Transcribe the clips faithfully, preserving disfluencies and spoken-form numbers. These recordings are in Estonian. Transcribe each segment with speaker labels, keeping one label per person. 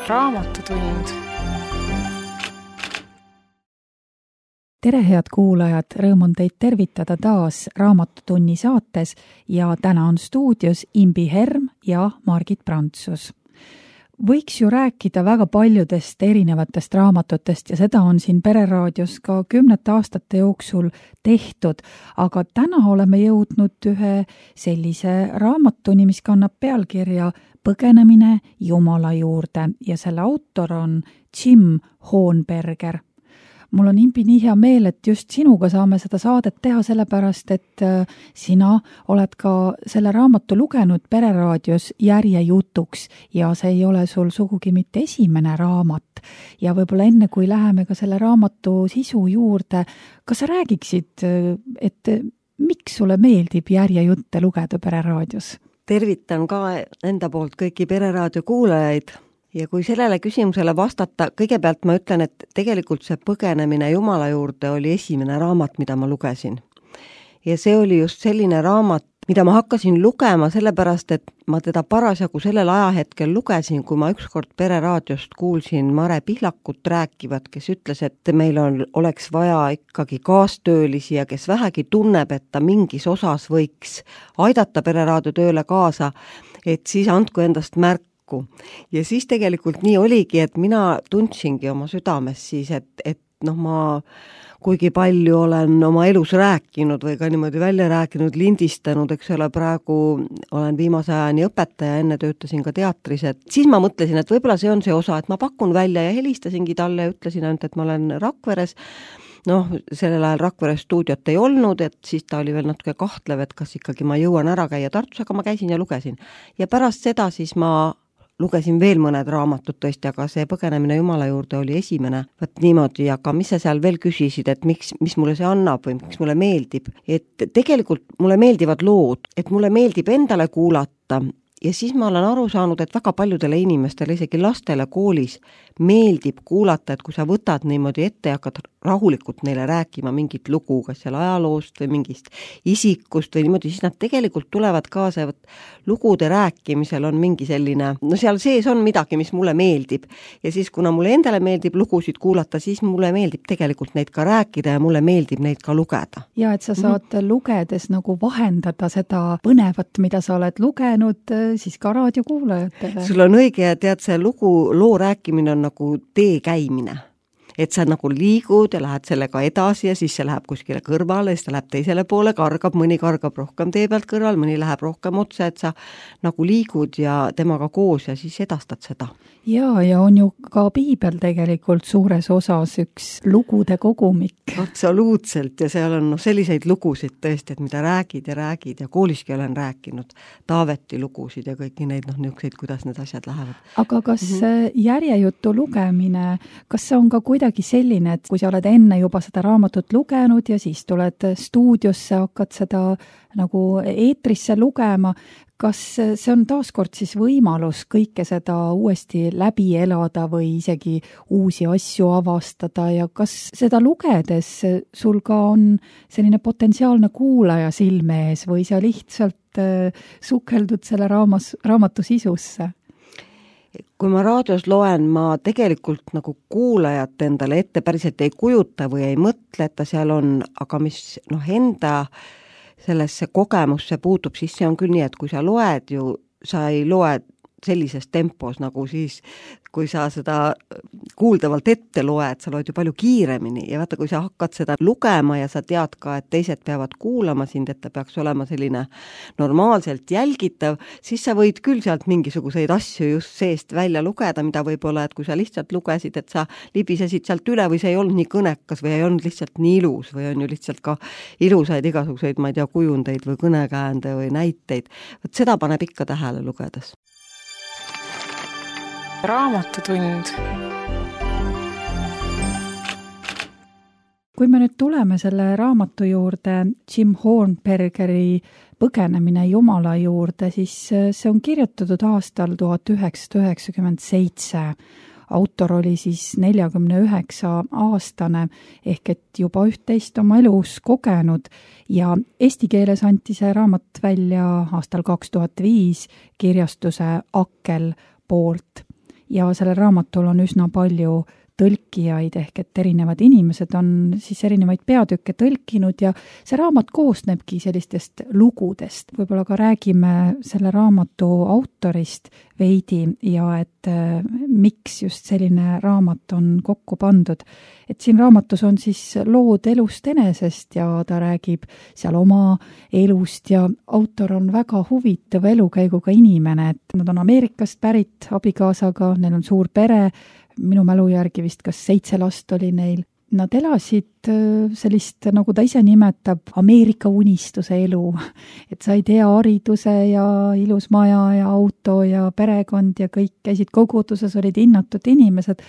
Speaker 1: Raamatutund.
Speaker 2: Tere, head kuulajad! Rõõm on teid tervitada taas Raamatutunni saates ja täna on stuudios Imbi Herm ja Margit Prantsus. Võiks ju rääkida väga paljudest erinevatest raamatutest ja seda on siin Pereraadios ka kümnete aastate jooksul tehtud, aga täna oleme jõudnud ühe sellise raamatuni, mis kannab pealkirja Põgenemine Jumala juurde ja selle autor on Jim Hoonberger. Mul on, Imbi, nii hea meel, et just sinuga saame seda saadet teha sellepärast, et sina oled ka selle raamatu lugenud Pereraadios järjejutuks ja see ei ole sul sugugi mitte esimene raamat. Ja võib-olla enne, kui läheme ka selle raamatu sisu juurde, kas sa räägiksid, et miks sulle meeldib järjejutte lugeda Pereraadios?
Speaker 3: Tervitan ka enda poolt kõiki Pereraadio kuulajaid. Ja kui sellele küsimusele vastata, kõigepealt ma ütlen, et tegelikult see Põgenemine Jumala juurde oli esimene raamat, mida ma lugesin. Ja see oli just selline raamat, mida ma hakkasin lugema sellepärast, et ma teda parasjagu sellel ajahetkel lugesin, kui ma ükskord Pereraadiost kuulsin Mare Pihlakut rääkivat, kes ütles, et meil on, oleks vaja ikkagi kaastöölisi ja kes vähegi tunneb, et ta mingis osas võiks aidata Pereraadio tööle kaasa, et siis andku endast märk. Ja siis tegelikult nii oligi, et mina tundsingi oma südames siis, et, et noh, ma kuigi palju olen oma elus rääkinud või ka niimoodi välja rääkinud, lindistanud, eks ole, praegu olen viimase ajani õpetaja, enne töötasin ka teatris, et siis ma mõtlesin, et võib-olla see on see osa, et ma pakun välja ja helistasingi talle ja ütlesin ainult, et ma olen Rakveres. Noh, sellel ajal Rakveres stuudiot ei olnud, et siis ta oli veel natuke kahtlev, et kas ikkagi ma jõuan ära käia Tartus, aga ma käisin ja lugesin. Ja pärast seda siis ma lugesin veel mõned raamatud tõesti, aga see Põgenemine Jumala juurde oli esimene. Võt niimoodi, aga mis sa seal veel küsisid, et miks, mis mulle see annab või miks mulle meeldib? Et tegelikult mulle meeldivad lood, et mulle meeldib endale kuulata ja siis ma olen aru saanud, et väga paljudele inimestele, isegi lastele koolis meeldib kuulata, et kui sa võtad niimoodi ette ja hakkad rahulikult neile rääkima mingit lugu, kas seal ajaloost või mingist isikust või niimoodi, siis nad tegelikult tulevad kaasa ja võt, lugude rääkimisel on mingi selline, no seal sees on midagi, mis mulle meeldib. Ja siis, kuna mulle endale meeldib lugusid kuulata, siis mulle meeldib tegelikult neid ka rääkida ja mulle meeldib neid ka lugeda.
Speaker 2: Ja et sa saad mm-hmm. lugedes nagu vahendada seda põnevat, mida sa oled lugenud, siis ka raadiokuulajatele.
Speaker 3: Sul on õige ja tead, see lugu, loo rääkimine on nagu tee käimine. Et sa nagu liigud ja lähed sellega edasi ja siis see läheb kuskile kõrvale ja siis ta läheb teisele poole, kargab, mõni kargab rohkem tee pealt kõrval, mõni läheb rohkem otse, et sa nagu liigud ja temaga koos ja siis edastad seda.
Speaker 2: Ja, ja on ju ka piibel tegelikult suures osas üks lugude kogumik.
Speaker 3: Absoluutselt ja seal on no, selliseid lugusid tõesti, et mida räägid ja räägid ja kooliski olen rääkinud Taaveti lugusid ja kõiki neid noh, niisuguseid, kuidas need asjad lähevad.
Speaker 2: Aga kas mm-hmm. järjejutu lugemine, kas see on ka kuidagi selline, et kui sa oled enne juba seda raamatut lugenud ja siis tuled stuudiosse, hakkad seda nagu eetrisse lugema, kas see on taaskord siis võimalus kõike seda uuesti läbi elada või isegi uusi asju avastada ja kas seda lugedes sul ka on selline potentsiaalne kuulaja silme ees või sa lihtsalt sukeldud selle raamas, raamatu sisusse?
Speaker 3: Kui ma raadios loen, ma tegelikult nagu kuulajat endale ette päriselt ei kujuta või ei mõtle, et ta seal on, aga mis noh, enda sellesse kogemusse puutub, siis see on küll nii, et kui sa loed ju, sa ei loe sellises tempos, nagu siis, kui sa seda kuuldavalt ette loed, sa loed ju palju kiiremini ja vaata, kui sa hakkad seda lugema ja sa tead ka, et teised peavad kuulama sind, et ta peaks olema selline normaalselt jälgitav, siis sa võid küll sealt mingisuguseid asju just seest välja lugeda, mida võib-olla, et kui sa lihtsalt lugesid, et sa libisesid sealt üle või see ei olnud nii kõnekas või ei olnud lihtsalt nii ilus või on ju lihtsalt ka ilusaid igasuguseid, ma ei tea, kujundeid või kõnekäände või näiteid. Võt seda paneb ikka tähele lugedes.
Speaker 1: Raamatutund.
Speaker 2: Kui me nüüd tuleme selle raamatu juurde, Jim Hoonbergeri Põgenemine Jumala juurde, siis see on kirjutatud aastal tuhat üheksasada üheksakümmend seitse. Autor oli siis neljakümne üheksa aastane ehk et juba üht-teist oma elus kogenud ja eesti keeles anti see raamat välja aastal kaks tuhat viis kirjastuse Akkel poolt. ja sellel raamatul on üsna palju tõlkijaid, ehk et erinevad inimesed on siis erinevaid peatükke tõlkinud ja see raamat koosnebki sellistest lugudest. Võib-olla ka räägime selle raamatu autorist veidi ja et äh, miks just selline raamat on kokku pandud. Et siin raamatus on siis lood elust enesest ja ta räägib seal oma elust ja autor on väga huvitav elukäiguga inimene, et nad on Ameerikast pärit abikaasaga, neil on suur pere, minu mälu järgi vist kas seitse last oli neil. Nad elasid sellist, nagu ta ise nimetab, Ameerika unistuse elu, et said hea hariduse ja ilus maja ja auto ja perekond ja kõik käisid koguduses, olid hinnatud inimesed,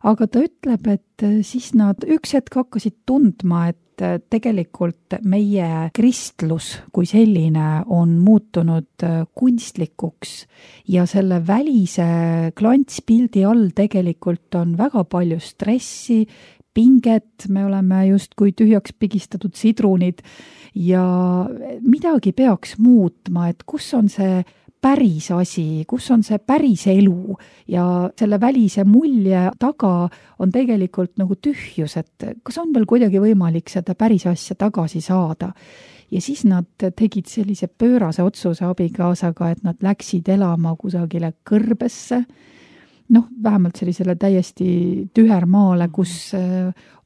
Speaker 2: aga ta ütleb, et siis nad üks hetk hakkasid tundma, et tegelikult meie kristlus kui selline on muutunud kunstlikuks ja selle välise klantspildi all tegelikult on väga palju stressi, pinget, me oleme justkui tühjaks pigistatud sidrunid ja midagi peaks muutma, et kus on see päris asi, kus on see päris elu ja selle välise mulje taga on tegelikult nagu tühjus, et kas on veel kuidagi võimalik seda päris asja tagasi saada. Ja siis nad tegid sellise pöörase otsuse abikaasaga, et nad läksid elama kusagile kõrbesse, noh, vähemalt sellisele täiesti tühermaale, kus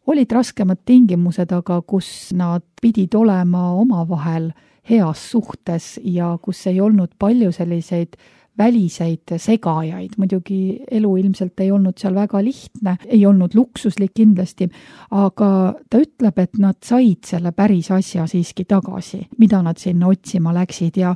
Speaker 2: olid raskemad tingimused, aga kus nad pidid olema omavahel heas suhtes ja kus ei olnud palju selliseid väliseid segajaid. Muidugi elu ilmselt ei olnud seal väga lihtne, ei olnud luksuslik kindlasti, aga ta ütleb, et nad said selle päris asja siiski tagasi, mida nad sinna otsima läksid ja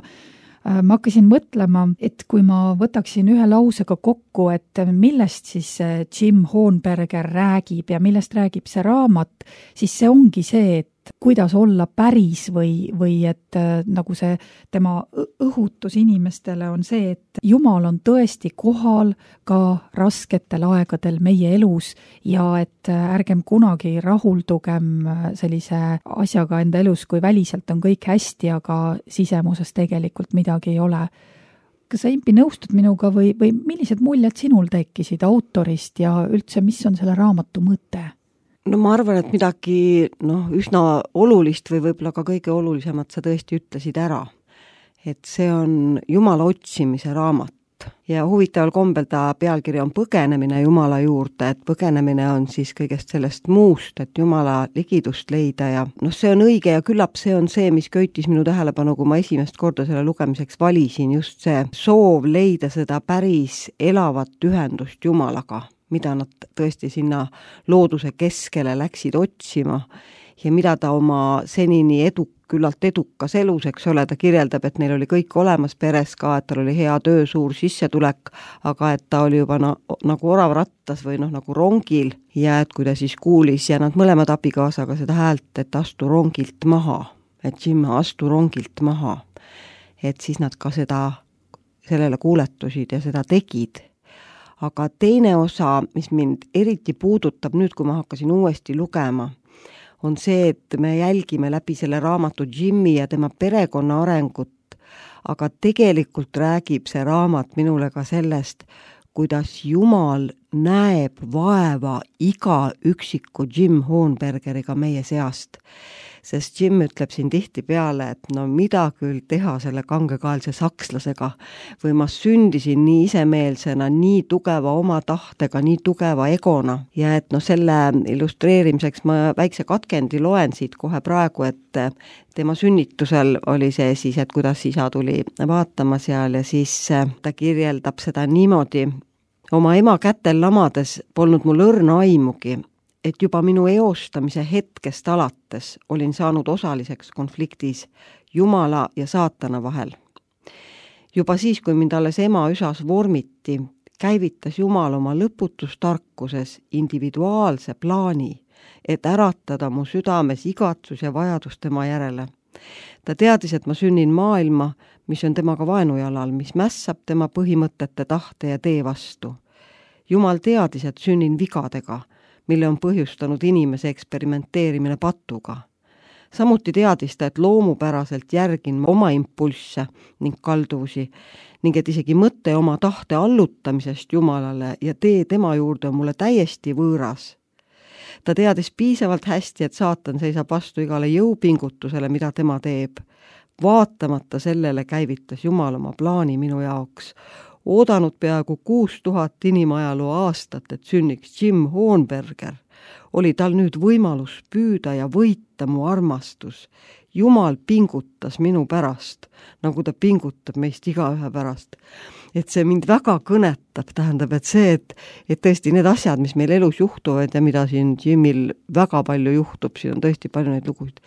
Speaker 2: ma hakkasin mõtlema, et kui ma võtaksin ühe lausega kokku, et millest siis Jim Hornberger räägib ja millest räägib see raamat, siis see ongi see, et kuidas olla päris või, või et nagu see tema õhutus inimestele on see, et Jumal on tõesti kohal ka rasketel aegadel meie elus ja et ärgem kunagi rahuldugem sellise asjaga enda elus, kui väliselt on kõik hästi, aga sisemuses tegelikult midagi ei ole. Kas sa, Impi, nõustud minuga või, või millised muljed sinul tekkisid autorist ja üldse, mis on selle raamatu mõte?
Speaker 3: No ma arvan, et midagi noh, üsna olulist või võib-olla ka kõige olulisemat sa tõesti ütlesid ära. Et see on Jumala otsimise raamat ja huvitaval kombel ta pealkiri on Põgenemine Jumala juurde, et põgenemine on siis kõigest sellest muust, et Jumala ligidust leida ja noh, see on õige ja küllap see on see, mis köitis minu tähelepanu, kui ma esimest korda selle lugemiseks valisin, just see soov leida seda päris elavat ühendust Jumalaga, mida nad tõesti sinna looduse keskele läksid otsima ja mida ta oma senini edu, küllalt edukas elus, eks ole, ta kirjeldab, et neil oli kõik olemas peres ka, et tal oli hea töö, suur sissetulek, aga et ta oli juba na, nagu orav rattas või noh, nagu rongil ja et kui ta siis kuulis ja nad mõlemad abikaasaga seda häält, et astu rongilt maha, et Jim, astu rongilt maha, et siis nad ka seda, sellele kuuletusid ja seda tegid. Aga teine osa, mis mind eriti puudutab nüüd, kui ma hakkasin uuesti lugema, on see, et me jälgime läbi selle raamatu Jimmy ja tema perekonna arengut, aga tegelikult räägib see raamat minule ka sellest, kuidas Jumal näeb vaeva iga üksiku Jim Hornbergeriga meie seast. Sest Jim ütleb siin tihtipeale, et no mida küll teha selle kangekaelse sakslasega või ma sündisin nii isemeelsena, nii tugeva oma tahtega, nii tugeva egona ja et no selle illustreerimiseks ma väikse katkendi loen siit kohe praegu, et tema sünnitusel oli see siis, et kuidas isa tuli vaatama seal ja siis ta kirjeldab seda niimoodi. Oma ema kätel lamades polnud mul õrna aimugi, et juba minu eostamise hetkest alates olin saanud osaliseks konfliktis Jumala ja saatana vahel. Juba siis, kui mind alles ema üsas vormiti, käivitas Jumal oma lõputus tarkuses individuaalse plaani, et äratada mu südames igatsus ja vajadus tema järele. Ta teadis, et ma sünnin maailma, mis on temaga vaenujalal, mis mässab tema põhimõtete tahte ja tee vastu. Jumal teadis, et sünnin vigadega, mille on põhjustanud inimese eksperimenteerimine patuga. samuti teadis ta, et loomupäraselt järgin oma impulsse ning kalduvusi ning et isegi mõte oma tahte allutamisest Jumalale ja tee tema juurde on mulle täiesti võõras. Ta teadis piisavalt hästi, et saatan seisab vastu igale jõupingutusele, mida tema teeb. Vaatamata sellele käivitas Jumal oma plaani minu jaoks. Oodanud peaaegu kuus tuhat inimajaloo aastat, et sünniks Jim Hohenberger, oli tal nüüd võimalus püüda ja võita mu armastus. Jumal pingutas minu pärast, nagu ta pingutab meist igaühe pärast. Et see mind väga kõnetab, tähendab, et see, et, et tõesti need asjad, mis meil elus juhtuvad ja mida siin Jimil väga palju juhtub, siin on tõesti palju neid lugusid,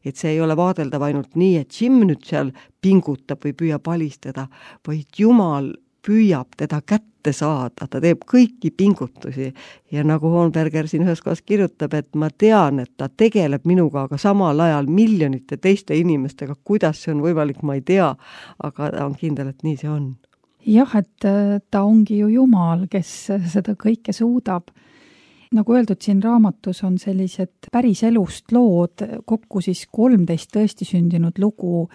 Speaker 3: et see ei ole vaadeldav ainult nii, et Jim nüüd seal pingutab või püüab alistada, vaid Jumal püüab teda kätte saada, ta teeb kõiki pingutusi ja nagu Hohenberger siin ühes kohas kirjutab, et ma tean, et ta tegeleb minuga, aga samal ajal miljonite teiste inimestega, kuidas see on võimalik, ma ei tea, aga ta on kindel, et nii see on.
Speaker 2: Jah, et ta ongi ju Jumal, kes seda kõike suudab. Nagu öeldud, siin raamatus on sellised päris elust lood, kokku siis kolmteist tõesti sündinud lugu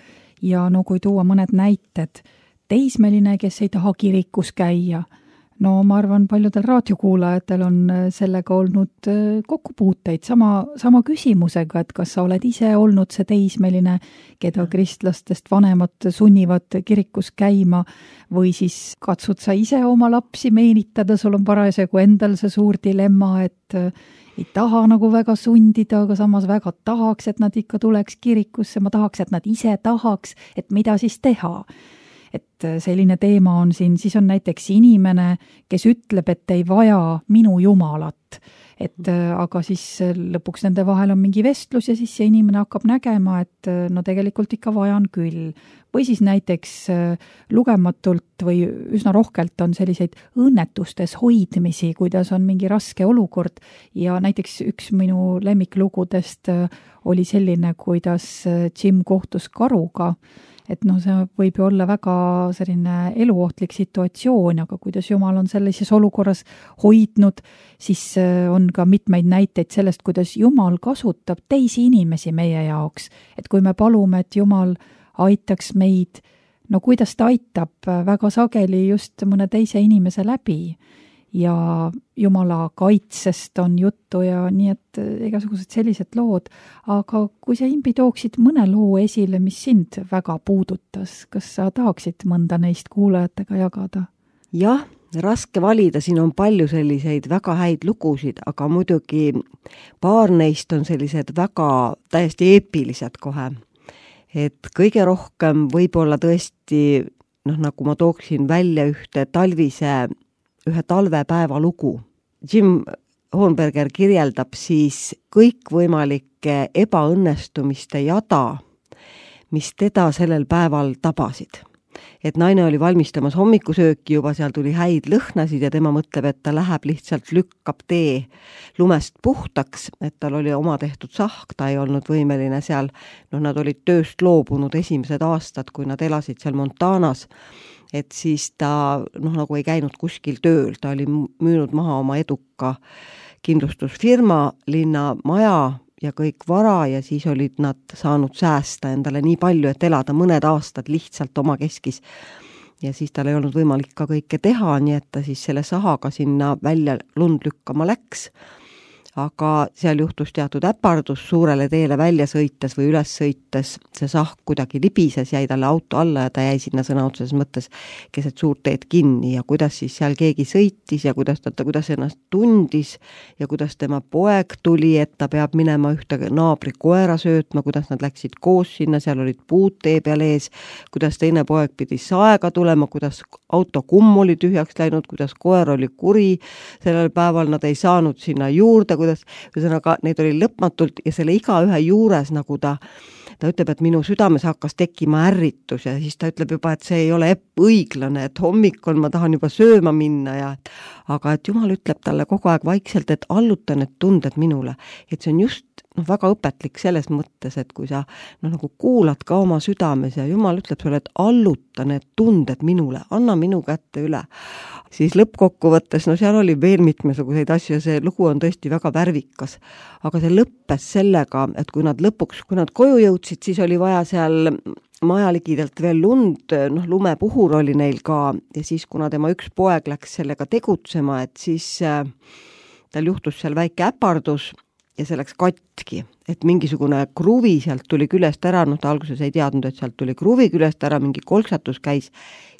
Speaker 2: ja no kui tuua mõned näited, teismeline, kes ei taha kirikus käia. No ma arvan, paljudel raadiokuulajatel on sellega olnud kokkupuuteid sama, sama küsimusega, et kas sa oled ise olnud see teismeline, keda kristlastest vanemad sunnivad kirikus käima või siis katsud sa ise oma lapsi meenitada, sul on parasjagu endal see suur dilemma, et ei taha nagu väga sundida, aga samas väga tahaks, et nad ikka tuleks kirikusse, ma tahaks, et nad ise tahaks, et mida siis teha. Et selline teema on siin, siis on näiteks inimene, kes ütleb, et ei vaja minu Jumalat, et aga siis lõpuks nende vahel on mingi vestlus ja siis see inimene hakkab nägema, et no tegelikult ikka vajan küll. Või siis näiteks lugematult või üsna rohkelt on selliseid õnnetustes hoidmisi, kuidas on mingi raske olukord ja näiteks üks minu lemmiklugudest oli selline, kuidas Jim kohtus karuga, et noh, see võib ju olla väga selline eluohtlik situatsioon, aga kuidas Jumal on sellises olukorras hoidnud, siis on ka mitmeid näiteid sellest, kuidas Jumal kasutab teisi inimesi meie jaoks. Et kui me palume, et Jumal aitaks meid, no kuidas ta aitab väga sageli just mõne teise inimese läbi ja Jumala kaitsest on juttu ja nii, et igasugused sellised lood. Aga kui sa, Imbi, tooksid mõne loo esile, mis sind väga puudutas, kas sa tahaksid mõnda neist kuulajatega jagada?
Speaker 3: Jah, raske valida, siin on palju selliseid väga häid lugusid, aga muidugi paar neist on sellised väga täiesti eepilised kohe. Et kõige rohkem võib-olla tõesti, noh, nagu ma tooksin välja ühte talvise ühe talvepäeva lugu. Jim Hohenberger kirjeldab siis kõikvõimalike ebaõnnestumiste jada, mis teda sellel päeval tabasid. Et naine oli valmistamas hommikusööki, juba seal tuli häid lõhnasid ja tema mõtleb, et ta läheb lihtsalt lükkab tee lumest puhtaks, et tal oli oma tehtud sahk, ta ei olnud võimeline seal, noh, nad olid tööst loobunud esimesed aastad, kui nad elasid seal Montanas, et siis ta noh, nagu ei käinud kuskil tööl, ta oli müünud maha oma eduka kindlustusfirma, linna maja ja kõik vara ja siis olid nad saanud säästa endale nii palju, et elada mõned aastad lihtsalt oma keskis. Ja siis tal ei olnud võimalik ka kõike teha, nii et ta siis selle sahaga sinna välja lund lükkama läks. Aga seal juhtus teatud äpardus suurele teele välja sõites või üles sõites. See sahk kuidagi libises, jäi talle auto alla ja ta jäi sinna sõna otseses mõttes keset suurt teed kinni ja kuidas siis seal keegi sõitis ja kuidas ta, kuidas ennast tundis ja kuidas tema poeg tuli, et ta peab minema ühte naabri koera söötma, kuidas nad läksid koos sinna, seal olid puud tee peal ees, kuidas teine poeg pidi saega tulema, kuidas auto kumm oli tühjaks läinud, kuidas koer oli kuri, sellel päeval nad ei saanud sinna juurde, kuidas, ühesõnaga, neid oli lõpmatult ja selle igaühe juures nagu ta, ta ütleb, et minu südames hakkas tekkima ärritus ja siis ta ütleb juba, et see ei ole õiglane, et hommikul ma tahan juba sööma minna ja et, aga et Jumal ütleb talle kogu aeg vaikselt, et alluta need tunded minule, et see on just noh, väga õpetlik selles mõttes, et kui sa noh, nagu kuulad ka oma südames ja Jumal ütleb sulle, et alluta need tunded minule, anna minu kätte üle, siis lõppkokkuvõttes, no seal oli veel mitmesuguseid asju ja see lugu on tõesti väga värvikas. Aga see lõppes sellega, et kui nad lõpuks, kui nad koju jõudsid, siis oli vaja seal majaligidelt veel lund, noh, lumepuhur oli neil ka ja siis, kuna tema üks poeg läks sellega tegutsema, et siis äh, tal juhtus seal väike äpardus ja see läks katki, et mingisugune kruvi sealt tuli küljest ära, noh, ta alguses ei teadnud, et sealt tuli kruvi küljest ära, mingi kolksatus käis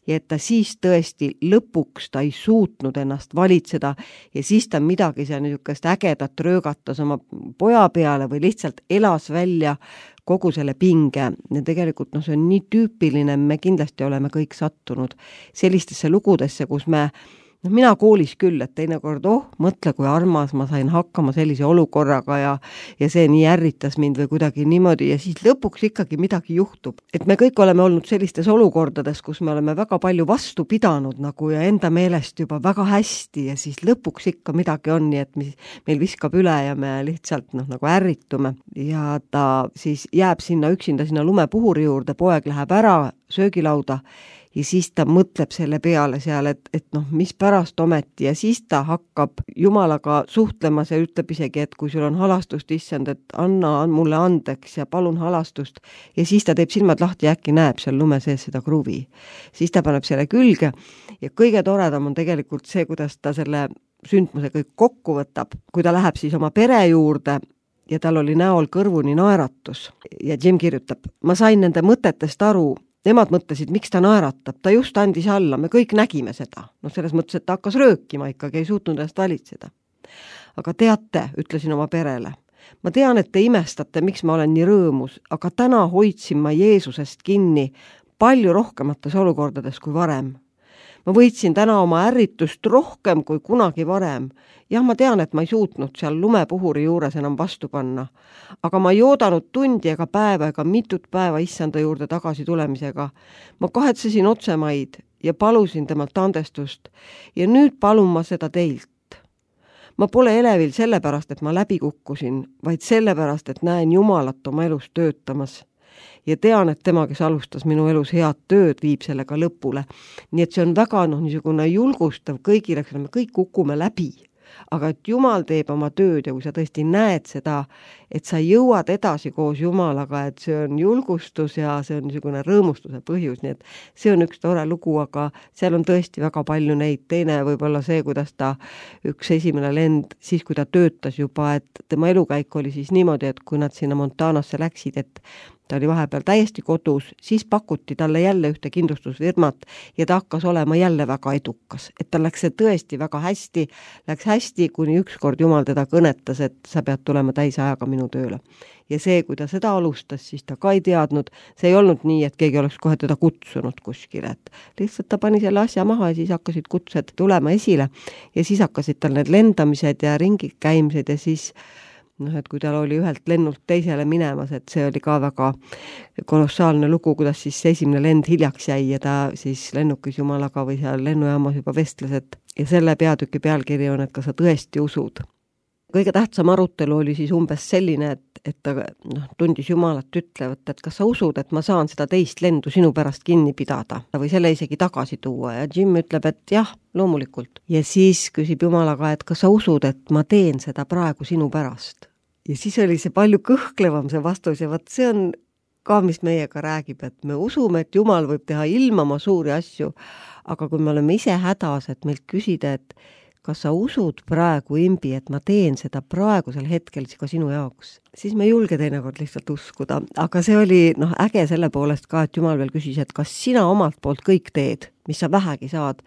Speaker 3: ja et ta siis tõesti lõpuks ta ei suutnud ennast valitseda ja siis ta midagi seal niisugust ägedat röögatas oma poja peale või lihtsalt elas välja kogu selle pinge ja tegelikult noh, see on nii tüüpiline, me kindlasti oleme kõik sattunud sellistesse lugudesse, kus me no mina koolis küll, et teinekord, oh, mõtle, kui armas ma sain hakkama sellise olukorraga ja, ja see nii ärritas mind või kuidagi niimoodi ja siis lõpuks ikkagi midagi juhtub. Et me kõik oleme olnud sellistes olukordades, kus me oleme väga palju vastu pidanud nagu ja enda meelest juba väga hästi ja siis lõpuks ikka midagi on, nii et mis, meil viskab üle ja me lihtsalt noh, nagu ärritume ja ta siis jääb sinna üksinda sinna lumepuhuri juurde, poeg läheb ära söögilauda ja siis ta mõtleb selle peale seal, et, et noh, mis pärast ometi ja siis ta hakkab Jumalaga suhtlemas ja ütleb isegi, et kui sul on halastust, issand, et anna mulle andeks ja palun halastust ja siis ta teeb silmad lahti ja äkki näeb seal lume sees seda kruvi. Siis ta paneb selle külge ja kõige toredam on tegelikult see, kuidas ta selle sündmuse kõik kokku võtab, kui ta läheb siis oma pere juurde ja tal oli näol kõrvuni naeratus ja Jim kirjutab, ma sain nende mõtetest aru. Nemad mõtlesid, miks ta naeratab, ta just andis alla, me kõik nägime seda. No selles mõttes, et ta hakkas röökima ikkagi, ei suutnud ennast valitseda. Aga teate, ütlesin oma perele, ma tean, et te imestate, miks ma olen nii rõõmus, aga täna hoidsin ma Jeesusest kinni palju rohkemates olukordades kui varem. Ma võitsin täna oma ärritust rohkem kui kunagi varem. Jah, ma tean, et ma ei suutnud seal lumepuhuri juures enam vastu panna. Aga ma ei oodanud tundi ega päeva ega mitut päeva issanda juurde tagasi tulemisega. Ma kahetsesin otsemaid ja palusin temalt andestust. Ja nüüd palun ma seda teilt. Ma pole elevil sellepärast, et ma läbi kukkusin, vaid sellepärast, et näen Jumalat oma elus töötamas. Ja tean, et tema, kes alustas minu elus head tööd, viib sellega lõpule. Nii et see on väga noh, niisugune julgustav kõigile, me kõik kukume läbi. Aga et Jumal teeb oma tööd ja kui sa tõesti näed seda, et sa jõuad edasi koos Jumalaga, et see on julgustus ja see on niisugune rõõmustuse põhjus, nii et see on üks tore lugu, aga seal on tõesti väga palju neid. Teine võib-olla see, kuidas ta üks esimene lend, siis kui ta töötas juba, et tema elukäik oli siis niimoodi, et kui nad sinna Montanasse läksid, et ta oli vahepeal täiesti kodus, siis pakuti talle jälle ühte kindlustusfirmat ja ta hakkas olema jälle väga edukas. Et ta läks see tõesti väga hästi, läks hästi, kuni ükskord Jumal teda kõnetas, et sa pead tulema täisajaga minu tööle. Ja see, kui ta seda alustas, siis ta ka ei teadnud, see ei olnud nii, et keegi oleks kohe teda kutsunud kuskile, et lihtsalt ta pani selle asja maha ja siis hakkasid kutsed tulema esile ja siis hakkasid tal need lendamised ja ringi käimised ja siis noh, et kui tal oli ühelt lennult teisele minemas, et see oli ka väga kolossaalne lugu, kuidas siis esimene lend hiljaks jäi ja ta siis lennukis Jumalaga või seal lennujaamas juba vestles, et ja selle peatüki pealkiri on, et kas sa tõesti usud. Kõige tähtsam arutelu oli siis umbes selline, et, et ta noh, tundis Jumalat ütlevat, et kas sa usud, et ma saan seda teist lendu sinu pärast kinni pidada või selle isegi tagasi tuua ja Jim ütleb, et jah, loomulikult. Ja siis küsib Jumalaga, et kas sa usud, et ma teen seda praegu sinu pärast. Ja siis oli see palju kõhklevam see vastus ja vaat see on ka, mis meiega räägib, et me usume, et Jumal võib teha ilmama suuri asju, aga kui me oleme ise hädas, et meilt küsida, et kas sa usud praegu, Imbi, et ma teen seda praegusel hetkel ka sinu jaoks, siis me ei julge teinekord lihtsalt uskuda. Aga see oli noh, äge selle poolest ka, et Jumal veel küsis, et kas sina omalt poolt kõik teed, mis sa vähegi saad.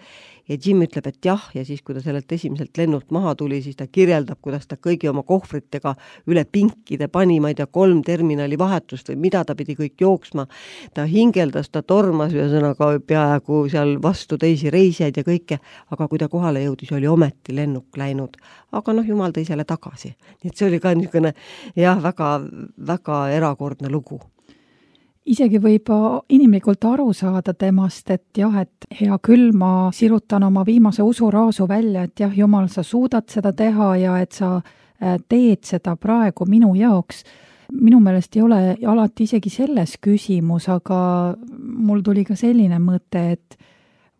Speaker 3: Ja Jim ütleb, et jah, ja siis kui ta sellelt esimeselt lennult maha tuli, siis ta kirjeldab, kuidas ta kõigi oma kohvritega üle pinkide pani, ma ei tea, kolm terminali vahetust või mida ta pidi kõik jooksma. Ta hingeldas, ta tormas ühesõnaga peaaegu seal vastu teisi reisijaid ja kõike, aga kui ta kohale jõudis, oli ometi lennuk läinud. Aga noh, Jumal tõi selle tagasi. Nii et see oli ka niisugune jah, väga, väga erakordne lugu.
Speaker 2: Isegi võib inimlikult aru saada temast, et jah, et hea küll, ma sirutan oma viimase usuraasu välja, et jah, Jumal, sa suudad seda teha ja et sa teed seda praegu minu jaoks. Minu meelest ei ole alati isegi selles küsimus, aga mul tuli ka selline mõte, et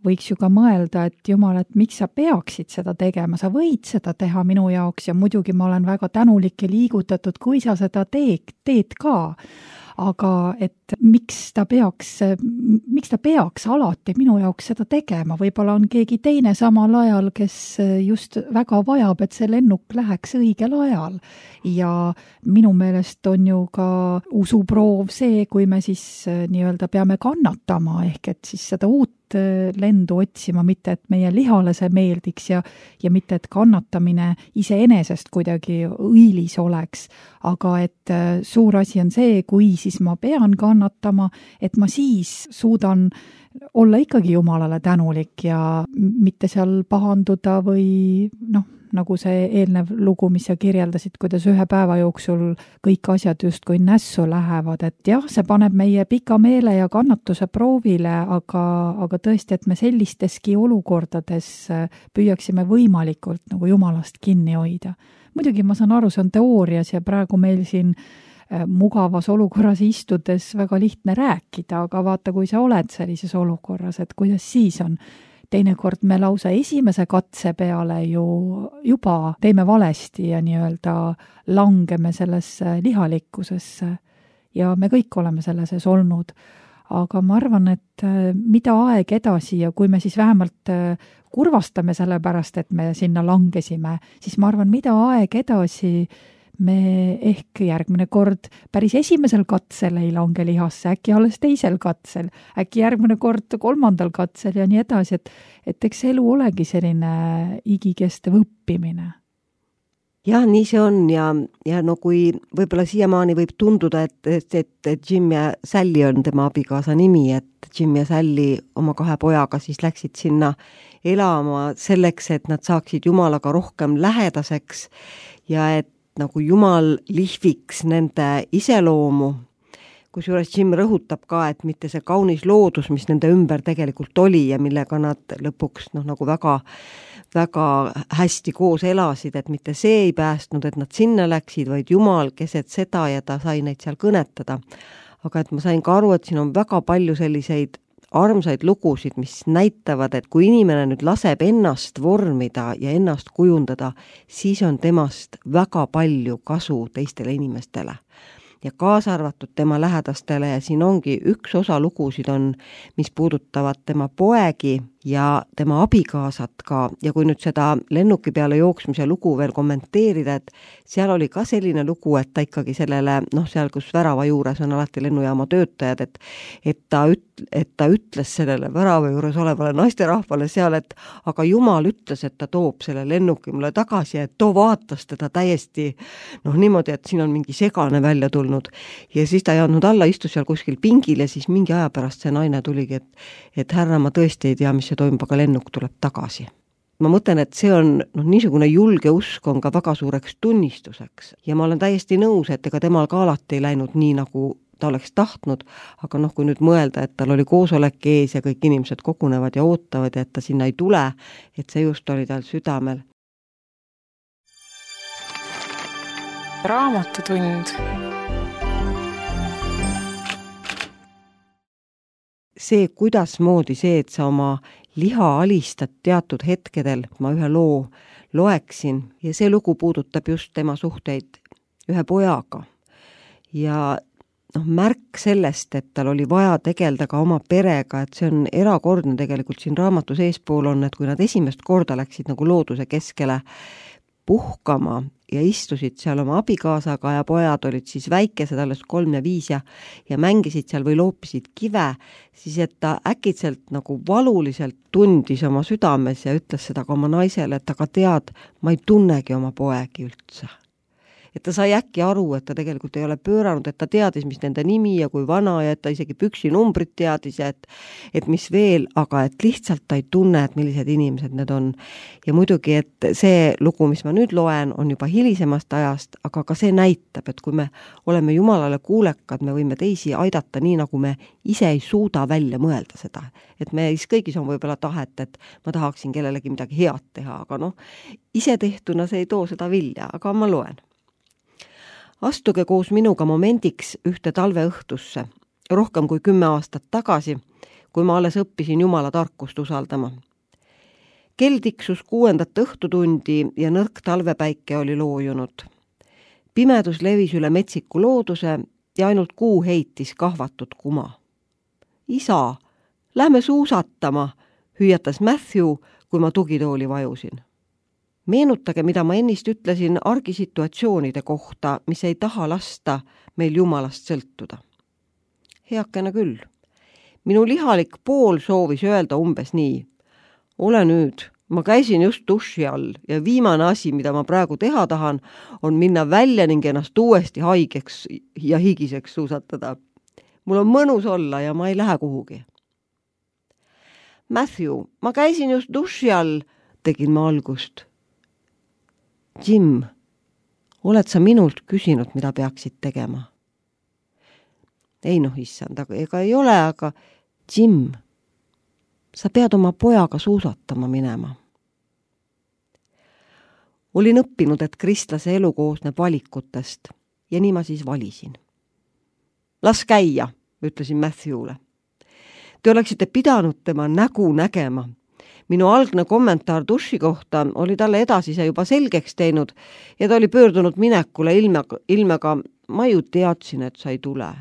Speaker 2: võiks ju ka mõelda, et jumal, et miks sa peaksid seda tegema, sa võid seda teha minu jaoks ja muidugi ma olen väga tänulik ja liigutatud, kui sa seda teed, teed ka. Aga et miks ta peaks, miks ta peaks alati minu jaoks seda tegema, võib-olla on keegi teine samal ajal, kes just väga vajab, et see lennuk läheks õigel ajal. Ja minu meelest on ju ka usuproov see, kui me siis nii-öelda peame kannatama, ehk et siis seda uut lendu otsima, mitte et meie lihale see meeldiks ja, ja mitte et kannatamine iseenesest kuidagi õilis oleks, aga et suur asi on see, kui siis ma pean kannatama, et ma siis suudan olla ikkagi Jumalale tänulik ja mitte seal pahanduda või noh, nagu see eelnev lugu, mis sa kirjeldasid, kuidas ühe päeva jooksul kõik asjad justkui nässu lähevad, et jah, see paneb meie pika meele ja kannatuse proovile, aga, aga tõesti, et me sellisteski olukordades püüaksime võimalikult nagu Jumalast kinni hoida. Muidugi ma saan aru, see on teoorias ja praegu meil siin mugavas olukorras istudes väga lihtne rääkida, aga vaata, kui sa oled sellises olukorras, et kuidas siis on. Teinekord me lausa esimese katse peale ju juba teeme valesti ja nii-öelda langeme sellesse lihalikkusesse ja me kõik oleme selles olnud. Aga ma arvan, et mida aeg edasi ja kui me siis vähemalt kurvastame selle pärast, et me sinna langesime, siis ma arvan, mida aeg edasi me ehk järgmine kord päris esimesel katsel ei lange lihasse, äkki alles teisel katsel, äkki järgmine kord kolmandal katsel ja nii edasi, et, et eks elu olegi selline igikestev õppimine.
Speaker 3: Jah, nii see on ja, ja no kui võib-olla siiamaani võib tunduda, et, et, et Jim ja Sally on tema abikaasa nimi, et Jim ja Sally oma kahe pojaga siis läksid sinna elama selleks, et nad saaksid Jumalaga rohkem lähedaseks ja et nagu Jumal lihviks nende iseloomu, kusjuures Jim rõhutab ka, et mitte see kaunis loodus, mis nende ümber tegelikult oli ja millega nad lõpuks noh, nagu väga, väga hästi koos elasid, et mitte see ei päästnud, et nad sinna läksid, vaid Jumal keset seda ja ta sai neid seal kõnetada. Aga et ma sain ka aru, et siin on väga palju selliseid armsaid lugusid, mis näitavad, et kui inimene nüüd laseb ennast vormida ja ennast kujundada, siis on temast väga palju kasu teistele inimestele. Ja kaasa arvatud tema lähedastele ja siin ongi üks osa lugusid on, mis puudutavad tema poegi ja tema abikaasat ka ja kui nüüd seda lennuki peale jooksmise lugu veel kommenteerida, et seal oli ka selline lugu, et ta ikkagi sellele, noh seal, kus värava juures on alati lennujaama töötajad, et, et, ta, üt, et ta ütles sellele värava juures olevale naisterahvale seal, et aga Jumal ütles, et ta toob selle lennuki mulle tagasi, et too vaatas teda täiesti noh niimoodi, et siin on mingi segane välja tulnud ja siis ta ei andnud alla, istus seal kuskil pingil ja siis mingi aja pärast see naine tuligi, et, et härra, ma tõesti ei tea, mis see toimub, aga lennuk tuleb tagasi. Ma mõtlen, et see on noh, niisugune julge usk on ka väga suureks tunnistuseks ja ma olen täiesti nõus, et ega temal ka alati ei läinud nii, nagu ta oleks tahtnud, aga noh, kui nüüd mõelda, et tal oli koosolek ees ja kõik inimesed kogunevad ja ootavad ja et ta sinna ei tule, et see just oli tal südamel.
Speaker 1: Raamatutund.
Speaker 3: See, kuidas moodi see, et sa oma liha alistad teatud hetkedel, ma ühe loo loeksin ja see lugu puudutab just tema suhteid ühe pojaga. Ja noh, märk sellest, et tal oli vaja tegelda ka oma perega, et see on erakordne tegelikult siin raamatu seespool on, et kui nad esimest korda läksid nagu looduse keskele puhkama ja istusid seal oma abikaasaga ja pojad olid siis väikesed, alles kolm ja viis ja, ja mängisid seal või loopisid kive, siis et ta äkitselt nagu valuliselt tundis oma südames ja ütles seda ka oma naisele, et aga tead, ma ei tunnegi oma poegi üldse. et ta sai äkki aru, et ta tegelikult ei ole pööranud, et ta teadis, mis nende nimi ja kui vana ja et ta isegi püksinumbrit teadis ja et, et mis veel, aga et lihtsalt ta ei tunne, et millised inimesed need on. Ja muidugi, et see lugu, mis ma nüüd loen, on juba hilisemast ajast, aga ka see näitab, et kui me oleme Jumalale kuulekad, me võime teisi aidata nii, nagu me ise ei suuda välja mõelda seda. Et meis kõigis on võib-olla tahet, et ma tahaksin kellelegi midagi head teha, aga noh, ise tehtuna see ei too seda vilja, aga ma loen. Astuge koos minuga momendiks ühte talveõhtusse, rohkem kui kümme aastat tagasi, kui ma alles õppisin Jumala tarkust usaldama. Kell tiksus kuuendat õhtutundi ja nõrk talvepäike oli loojunud. Pimedus levis üle metsiku looduse ja ainult kuu heitis kahvatud kuma. Isa, lähme suusatama, hüüatas Matthew, kui ma tugitooli vajusin. Meenutage, mida ma ennist ütlesin argisituatsioonide kohta, mis ei taha lasta meil Jumalast sõltuda. Heakene küll. Minu lihalik pool soovis öelda umbes nii. Ole nüüd, ma käisin just duši all ja viimane asi, mida ma praegu teha tahan, on minna välja ning ennast uuesti haigeks ja higiseks suusatada. Mul on mõnus olla ja ma ei lähe kuhugi. Matthew, ma käisin just duši all, tegin ma algust. Jim, oled sa minult küsinud, mida peaksid tegema? Ei noh, issand, aga ega ei ole, aga Jim, sa pead oma pojaga suusatama minema. Olin õppinud, et kristlase elu koosneb valikutest ja nii ma siis valisin. Las käia, ütlesin Matthewle. Te oleksite pidanud tema nägu nägema. Minu algne kommentaar duši kohta oli talle edasise juba selgeks teinud ja ta oli pöördunud minekule ilmega, ilmega ma ju teadsin, et sa ei tule.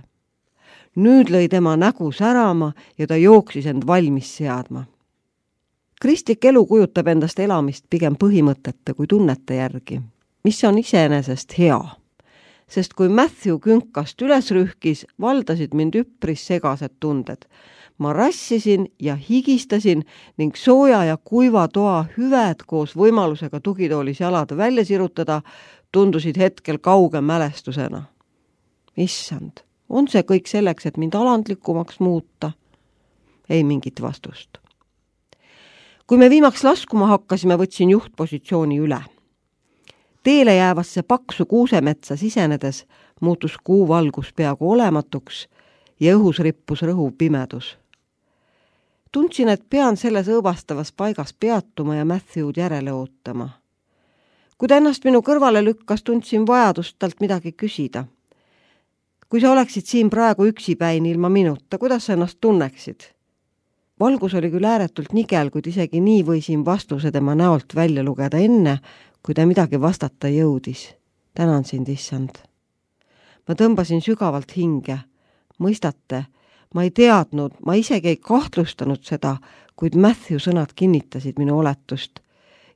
Speaker 3: Nüüd lõi tema nägu särama ja ta jooksis end valmis seadma. Kristlik elu kujutab endast elamist pigem põhimõtete kui tunnete järgi, mis on iseenesest hea. Sest kui Matthew künkast üles rühkis, valdasid mind üpris segased tunded. Ma rassisin ja higistasin ning sooja ja kuiva toa hüved koos võimalusega tugitoolis jalad välja sirutada tundusid hetkel kauge mälestusena. Issand, on see kõik selleks, et mind alandlikumaks muuta? Ei mingit vastust. Kui me viimaks laskuma hakkasime, võtsin juhtpositsiooni üle. Teele jäävasse paksu kuusemetsa sisenedes muutus kuu valgus peaaegu olematuks ja õhus rippus rõhuv pimedus. Tundsin, et pean selles õõvastavas paigas peatuma ja Matthewd järele ootama. Kui ta ennast minu kõrvale lükkas, tundsin vajadust talt midagi küsida. Kui sa oleksid siin praegu üksipäin ilma minuta, kuidas sa ennast tunneksid? Valgus oli küll ääretult nigel, kuid isegi nii võisin vastuse tema näolt välja lugeda enne, kui ta midagi vastata jõudis. Tänan sind, issand. Ma tõmbasin sügavalt hinge. Mõistate, ma ei teadnud, ma isegi ei kahtlustanud seda, kuid Matthew sõnad kinnitasid minu oletust.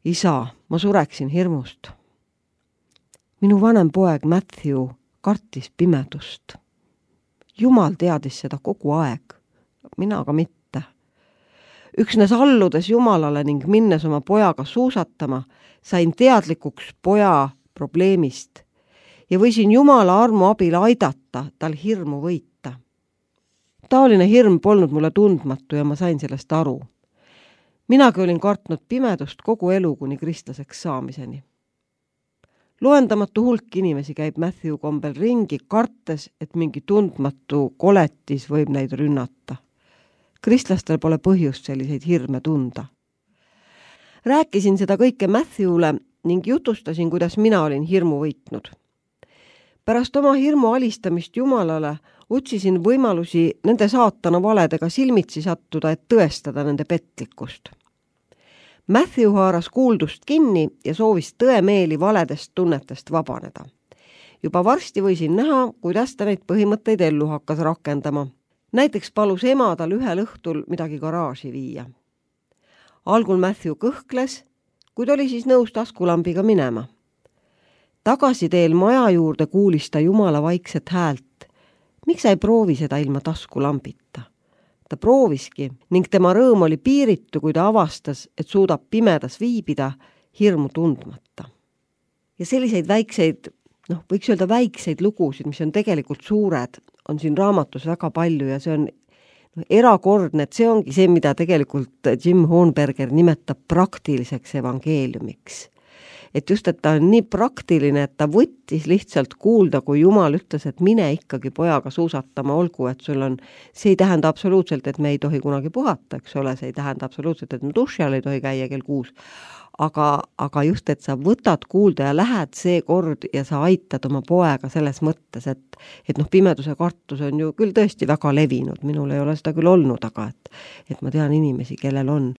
Speaker 3: Isa, ma sureksin hirmust. Minu vanem poeg Matthew kartis pimedust. Jumal teadis seda kogu aeg, mina aga mitte. Üksnes alludes Jumalale ning minnes oma pojaga suusatama, sain teadlikuks poja probleemist ja võisin Jumala armu abil aidata tal hirmu võita. Taoline hirm polnud mulle tundmatu ja ma sain sellest aru. Minagi olin kartnud pimedust kogu elu kuni kristlaseks saamiseni. Loendamatu hulk inimesi käib Matthew kombel ringi, kartes, et mingi tundmatu koletis võib neid rünnata. Kristlastel pole põhjust selliseid hirme tunda. Rääkisin seda kõike Matthewle ning jutustasin, kuidas mina olin hirmu võitnud. Pärast oma hirmu alistamist Jumalale otsisin võimalusi nende saatana valedega silmitsi sattuda, et tõestada nende petlikkust. Matthew haaras kuuldust kinni ja soovis tõemeeli valedest tunnetest vabaneda. Juba varsti võisin näha, kuidas ta neid põhimõtteid ellu hakkas rakendama. Näiteks palus ema tal ühel õhtul midagi garaaži viia. Algul Matthew kõhkles, kuid oli siis nõus taskulambiga minema. Tagasiteel maja juurde kuulis ta Jumala vaikset häält. Miks sa ei proovi seda ilma taskulambita? Ta prooviski ning tema rõõm oli piiritu, kui ta avastas, et suudab pimedas viibida hirmu tundmata. Ja selliseid väikseid noh, võiks öelda väikseid lugusid, mis on tegelikult suured, on siin raamatus väga palju ja see on no, erakordne, et see ongi see, mida tegelikult Jim Hornberger nimetab praktiliseks evangeeliumiks. Et just, et ta on nii praktiline, et ta võttis lihtsalt kuulda, kui Jumal ütles, et mine ikkagi pojaga suusatama, olgu, et sul on, see ei tähenda absoluutselt, et me ei tohi kunagi puhata, eks ole, see ei tähenda absoluutselt, et me duši all ei tohi käia kell kuus, aga, aga just, et sa võtad kuulda ja lähed see kord ja sa aitad oma poega selles mõttes, et, et noh, pimeduse kartus on ju küll tõesti väga levinud, minul ei ole seda küll olnud, aga et, et ma tean inimesi, kellel on.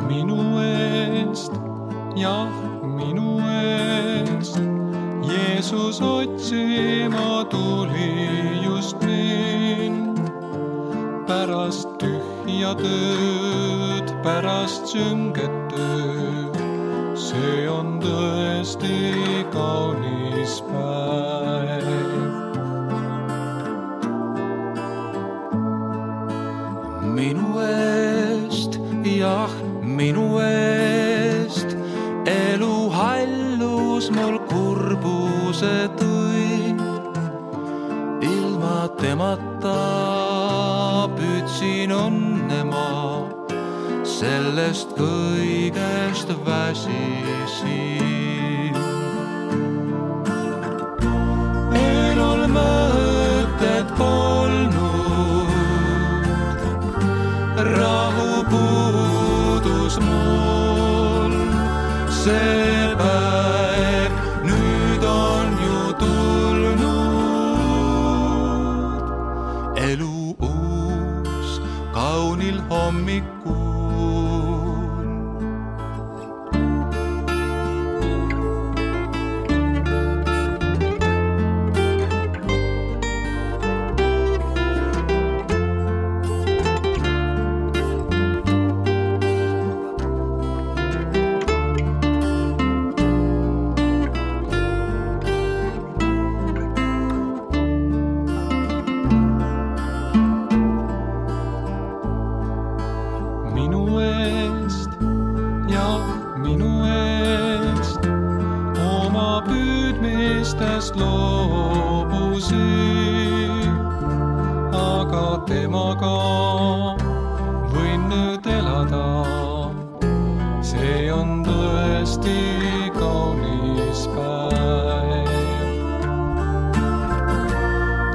Speaker 1: Minu eest, jah, minu eest, Jeesus otsima tuli just mind. Pärast tühja tööd, pärast sünget tööd, see on tõesti kaunis päev. Minu eest, jah, minu eest, elu hallus mul kurbuse tõi. Ilma temata püüdsin õnne ma, sellest kõigest väsisin. Elul mõtet polnud, rahu puudus mul, see päev nüüd on ju tulnud. Elu uus kaunil hommikul. Loobusin, aga temaga võin nüüd elada. See on tõesti kaunis päev.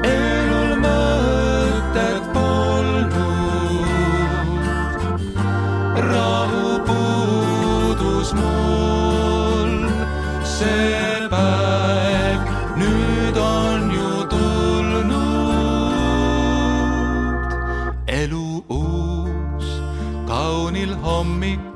Speaker 1: Elul mõtet polnud, rahu puudus mul, see päev nüüd on ju tulnud. Elu uus kaunil hommikul.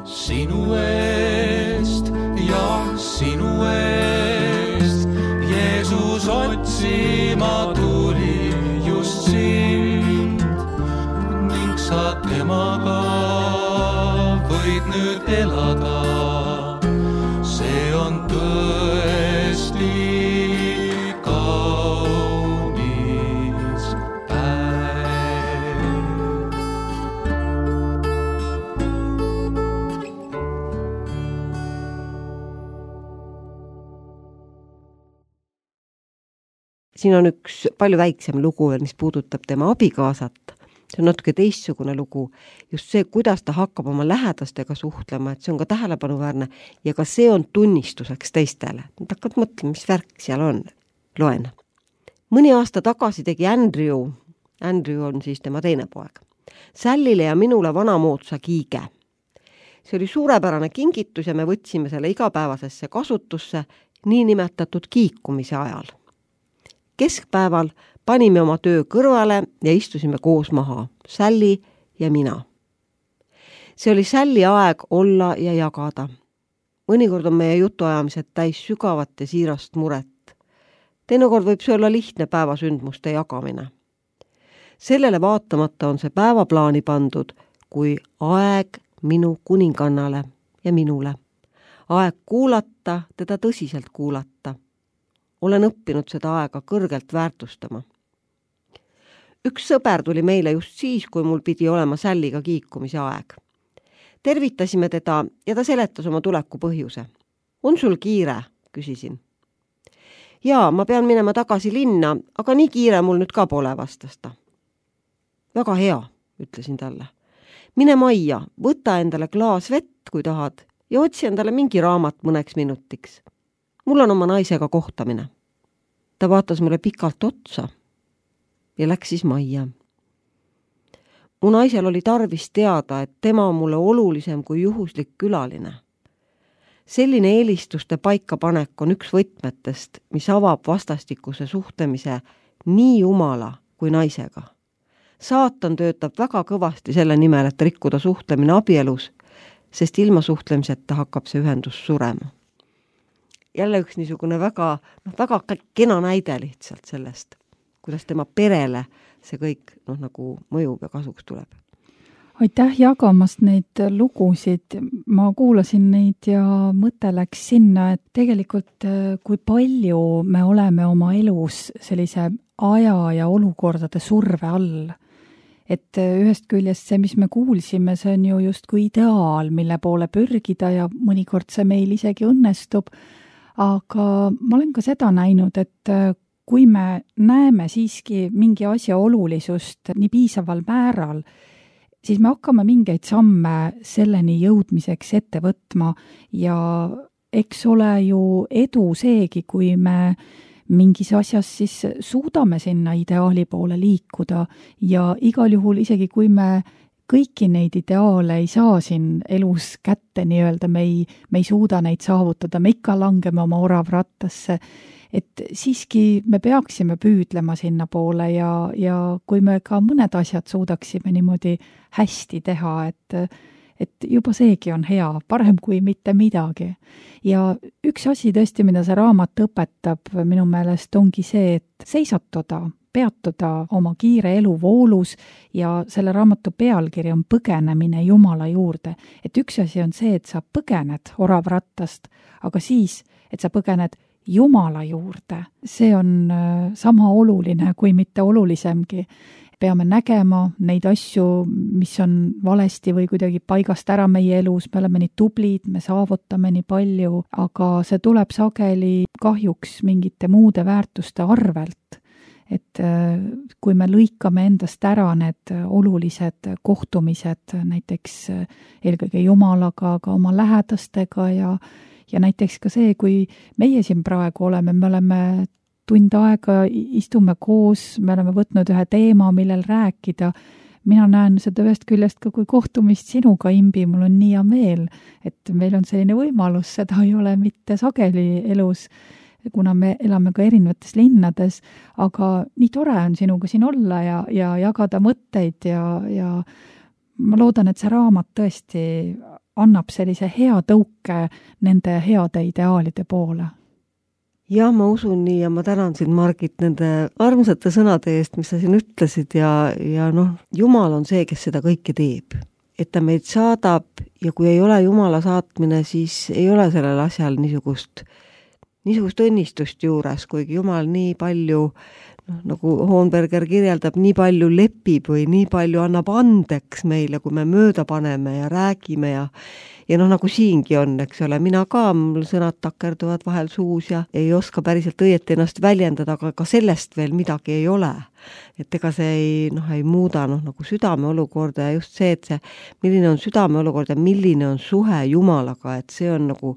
Speaker 1: Sinu eest, jah, sinu eest, Jeesus otsima tuli just sind. Ning sa temaga võid nüüd elada. See on tõesti kaunis päev.
Speaker 3: Siin on üks palju väiksem lugu, mis puudutab tema abikaasat. See on natuke teistsugune lugu. Just see, kuidas ta hakkab oma lähedastega suhtlema, et see on ka tähelepanuväärne ja ka see on tunnistuseks teistele. Nad hakkad mõtlema, mis värk seal on. Loen. Mõni aasta tagasi tegi Andrew, Andrew on siis tema teine poeg, Sallile ja minule vanamoodsa kiige. See oli suurepärane kingitus ja me võtsime selle igapäevasesse kasutusse niinimetatud kiikumise ajal. Keskpäeval panime oma töö kõrvale ja istusime koos maha, Sally ja mina. See oli Sally aeg olla ja jagada. Mõnikord on meie jutuajamised täis sügavat ja siirast muret. Teinekord võib see olla lihtne päevasündmuste jagamine. Sellele vaatamata on see päevaplaani pandud kui aeg minu kuningannale ja minule. Aeg kuulata, teda tõsiselt kuulata. olen õppinud seda aega kõrgelt väärtustama. Üks sõber tuli meile just siis, kui mul pidi olema Sälliga kiikumise aeg. Tervitasime teda ja ta seletas oma tuleku põhjuse. On sul kiire? Küsisin. Jaa, ma pean minema tagasi linna, aga nii kiire mul nüüd ka pole, vastas ta. Väga hea, ütlesin talle. Mine majja, võta endale klaas vett, kui tahad, ja otsi endale mingi raamat mõneks minutiks. Mul on oma naisega kohtamine. Ta vaatas mulle pikalt otsa ja läks siis majja. Mu naisel oli tarvis teada, et tema on mulle olulisem kui juhuslik külaline. Selline eelistuste paikapanek on üks võtmetest, mis avab vastastikuse suhtlemise nii jumala kui naisega. Saatan töötab väga kõvasti selle nimel, et rikkuda suhtlemine abielus, sest ilma suhtlemiseta hakkab see ühendus surema. Jälle üks niisugune väga, noh, väga kena näide lihtsalt sellest, kuidas tema perele see kõik noh, nagu mõjub ja kasuks tuleb.
Speaker 2: Aitäh jagamast neid lugusid. Ma kuulasin neid ja mõte läks sinna, et tegelikult kui palju me oleme oma elus sellise aja ja olukordade surve all. Et ühest küljest see, mis me kuulsime, see on ju just kui ideaal, mille poole pürgida ja mõnikord see meil isegi õnnestub. Aga ma olen ka seda näinud, et kui me näeme siiski mingi asja olulisust nii piisaval määral, siis me hakkame mingeid samme selleni jõudmiseks ette võtma ja eks ole ju edu seegi, kui me mingis asjas siis suudame sinna ideaali poole liikuda ja igal juhul isegi kui me kõiki neid ideaale ei saa siin elus kätte nii-öelda, me ei, me ei suuda neid saavutada, me ikka langeme oma oravrattasse, et siiski me peaksime püüdlema sinna poole ja, ja kui me ka mõned asjad suudaksime niimoodi hästi teha, et, et juba seegi on hea, parem kui mitte midagi. Ja üks asi tõesti, mida see raamat õpetab minu meelest ongi see, et seisatuda, peatuda oma kiire elu voolus ja selle raamatu pealkiri on põgenemine Jumala juurde. Et üks asi on see, et sa põgened oravrattast, aga siis, et sa põgened Jumala juurde. See on sama oluline kui mitte olulisemgi. Peame nägema neid asju, mis on valesti või kuidagi paigast ära meie elus. Me oleme nii tublid, me saavutame nii palju, aga see tuleb sageli kahjuks mingite muude väärtuste arvelt. Et kui me lõikame endast ära need olulised kohtumised, näiteks eelkõige Jumalaga, aga oma lähedastega ja Ja näiteks ka see, kui meie siin praegu oleme, me oleme tund aega, istume koos, me oleme võtnud ühe teema, millel rääkida. Mina näen seda ühest küljest ka kui kohtumist sinuga, Imbi, mul on nii hea meel, et meil on selline võimalus, seda ei ole mitte sageli elus, kuna me elame ka erinevates linnades, aga nii tore on sinuga siin olla ja, ja jagada mõtteid ja, ja ma loodan, et see raamat tõesti annab sellise hea tõuke nende heade ideaalide poole.
Speaker 3: Ja ma usun nii ja ma tänan sind, Margit, nende armsate sõnade eest, mis sa siin ütlesid ja, ja noh, Jumal on see, kes seda kõike teeb. Et ta meid saadab ja kui ei ole Jumala saatmine, siis ei ole sellel asjal niisugust, niisugust õnnistust juures, kuigi Jumal nii palju noh, nagu Hohenberger kirjeldab, nii palju lepib või nii palju annab andeks meile, kui me mööda paneme ja räägime ja ja noh, nagu siingi on, eks ole, mina ka, mul sõnad takerduvad vahel suus ja ei oska päriselt õieti ennast väljendada, aga ka sellest veel midagi ei ole. Et ega see ei, noh, ei muuda noh, nagu südame olukorda ja just see, et see, milline on südame olukord ja milline on suhe Jumalaga, et see on nagu,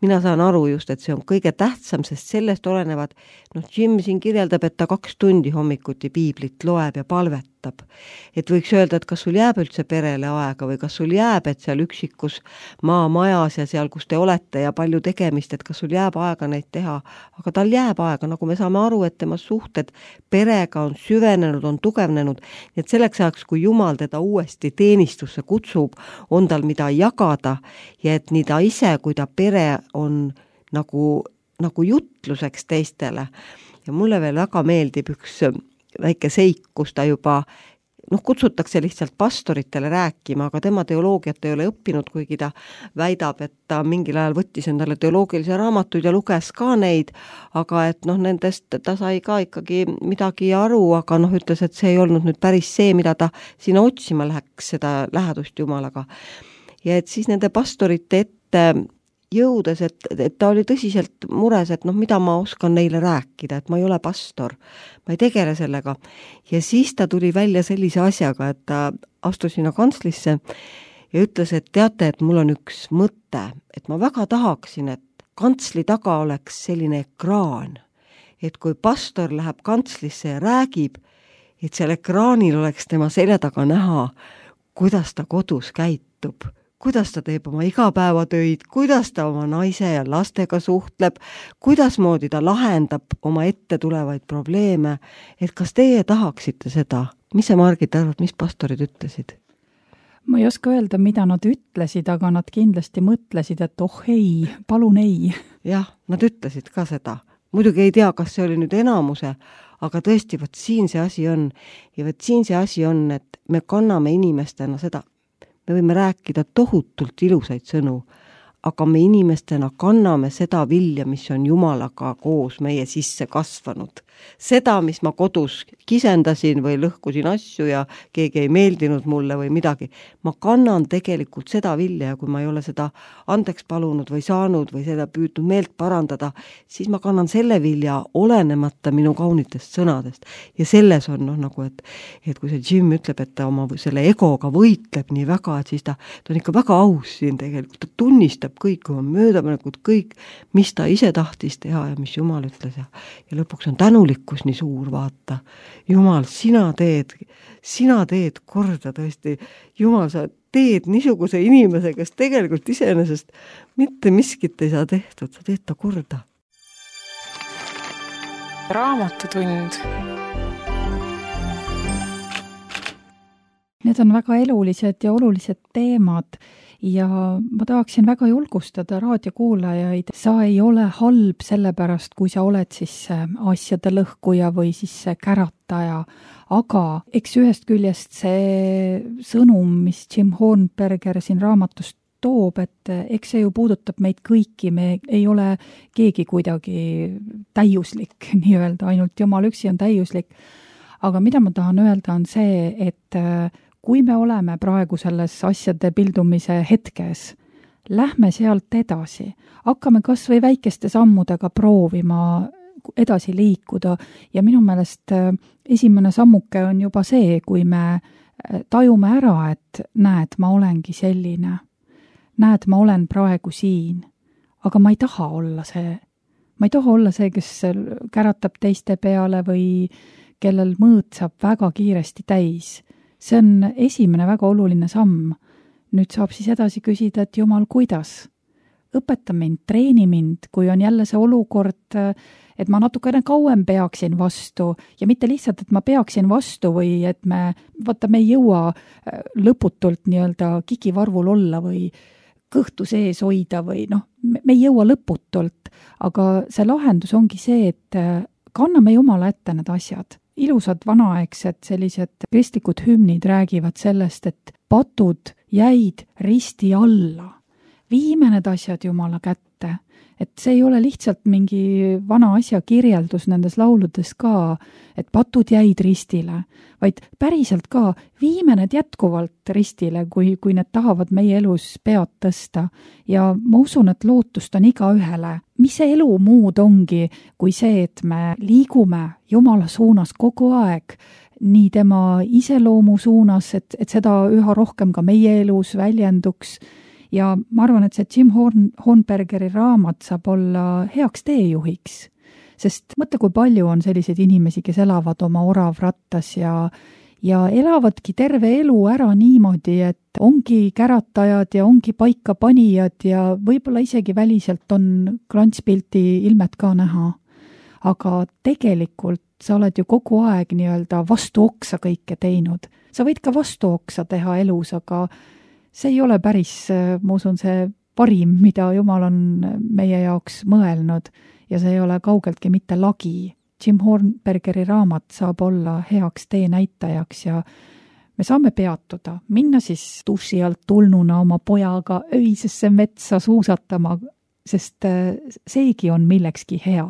Speaker 3: mina saan aru just, et see on kõige tähtsam, sest sellest olenevad, noh, Jim siin kirjeldab, et ta kaks tundi hommikuti piiblit loeb ja palvetab. Et võiks öelda, et kas sul jääb üldse perele aega või kas sul jääb, et seal üksikus maamajas ja seal, kus te olete ja palju tegemist, et kas sul jääb aega neid teha, aga tal jääb aega, nagu me saame aru, et tema suhted perega on süvenenud, on tugevnenud, et selleks ajaks, kui Jumal teda uuesti teenistusse kutsub, on tal mida jagada ja et nii ta ise, kui ta pere on nagu, nagu jutluseks teistele. Ja mulle veel väga meeldib üks väike seik, kus ta juba noh, kutsutakse lihtsalt pastoritele rääkima, aga tema teoloogiat ei ole õppinud, kuigi ta väidab, et ta mingil ajal võttis endale teoloogilise raamatuid ja luges ka neid, aga et noh, nendest ta sai ka ikkagi midagi aru, aga noh, ütles, et see ei olnud nüüd päris see, mida ta sinna otsima läheks, seda lähedust Jumalaga. Ja et siis nende pastorite ette jõudes, et, et ta oli tõsiselt mures, et noh, mida ma oskan neile rääkida, et ma ei ole pastor, ma ei tegele sellega. Ja siis ta tuli välja sellise asjaga, et ta astus sinna kantslisse ja ütles, et teate, et mul on üks mõte, et ma väga tahaksin, et kantsli taga oleks selline ekraan, et kui pastor läheb kantslisse ja räägib, et seal ekraanil oleks tema selja taga näha, kuidas ta kodus käitub, kuidas ta teeb oma igapäevatöid, kuidas ta oma naise ja lastega suhtleb, kuidas moodi ta lahendab oma ette tulevaid probleeme, et kas teie tahaksite seda? Mis sa, Margit, arvad, mis pastorid ütlesid?
Speaker 2: Ma ei oska öelda, mida nad ütlesid, aga nad kindlasti mõtlesid, et oh ei, palun ei.
Speaker 3: Jah, nad ütlesid ka seda. Muidugi ei tea, kas see oli nüüd enamuse, aga tõesti, võt siin see asi on. Ja võt siin see asi on, et me kanname inimestena seda, me võime rääkida tohutult ilusaid sõnu, aga me inimestena kanname seda vilja, mis on Jumalaga koos meie sisse kasvanud. Seda, mis ma kodus kisendasin või lõhkusin asju ja keegi ei meeldinud mulle või midagi. Ma kannan tegelikult seda vilja ja kui ma ei ole seda andeks palunud või saanud või seda püüdnud meelt parandada, siis ma kannan selle vilja olenemata minu kaunitest sõnadest. Ja selles on noh, nagu, et, et kui see Jim ütleb, et ta oma selle egoga võitleb nii väga, et siis ta, ta on ikka väga aus siin tegelikult. Ta tunnistab kõik oma möödapanekud, kõik, mis ta ise tahtis teha ja mis Jumal ütles ja, ja lõpuks on tänu likkus nii suur, vaata. Jumal, sina teed, sina teed korda tõesti. Jumal, sa teed niisuguse inimese, kes tegelikult iseenesest mitte miskit ei saa tehtud, sa teed ta korda.
Speaker 4: Raamatutund.
Speaker 2: Need on väga elulised ja olulised teemad ja ma tahaksin väga julgustada raadiokuulajaid. Sa ei ole halb sellepärast, kui sa oled siis asjade lõhkuja või siis kärataja, aga eks ühest küljest see sõnum, mis Jim Hornberger siin raamatust toob, et eks see ju puudutab meid kõiki, me ei ole keegi kuidagi täiuslik, nii-öelda, ainult Jumal üksi on täiuslik. Aga mida ma tahan öelda on see, et kui me oleme praegu selles asjade pildumise hetkes, lähme sealt edasi, hakkame kas või väikeste sammudega proovima edasi liikuda ja minu meelest esimene sammuke on juba see, kui me tajume ära, et näed, ma olengi selline, näed, ma olen praegu siin, aga ma ei taha olla see, ma ei taha olla see, kes käratab teiste peale või kellel mõõt saab väga kiiresti täis. See on esimene väga oluline samm. Nüüd saab siis edasi küsida, et Jumal, kuidas? Õpeta mind, treeni mind, kui on jälle see olukord, et ma natukene kauem peaksin vastu ja mitte lihtsalt, et ma peaksin vastu või et me, vaata, me ei jõua lõputult nii-öelda kikivarvul olla või kõhtu sees hoida või noh, me ei jõua lõputult, aga see lahendus ongi see, et kanname Jumala ette need asjad. Ilusad vanaaegsed sellised kristlikud hümnid räägivad sellest, et patud jäid risti alla. Viime need asjad Jumala kätte. Et see ei ole lihtsalt mingi vana asja kirjeldus nendes lauludes ka, et patud jäid ristile, vaid päriselt ka viime need jätkuvalt ristile, kui, kui need tahavad meie elus pead tõsta. Ja ma usun, et lootust on iga ühele. Mis see elu muud ongi, kui see, et me liigume Jumala suunas kogu aeg, nii tema iseloomu suunas, et, et seda üha rohkem ka meie elus väljenduks. Ja ma arvan, et see Jim Horn, Hornbergeri raamat saab olla heaks teejuhiks, sest mõtle, kui palju on selliseid inimesi, kes elavad oma oravrattas ja, ja elavadki terve elu ära niimoodi, et ongi käratajad ja ongi paikapanijad ja võib-olla isegi väliselt on klantspilti ilmet ka näha. Aga tegelikult sa oled ju kogu aeg nii-öelda vastu oksa kõike teinud. Sa võid ka vastu oksa teha elus, aga see ei ole päris, ma usun, see parim, mida Jumal on meie jaoks mõelnud ja see ei ole kaugeltki mitte lagi. Jim Hornbergeri raamat saab olla heaks teenäitajaks ja me saame peatuda, minna siis duši alt tulnuna oma pojaga öisesse metsa suusatama, sest seegi on millekski hea.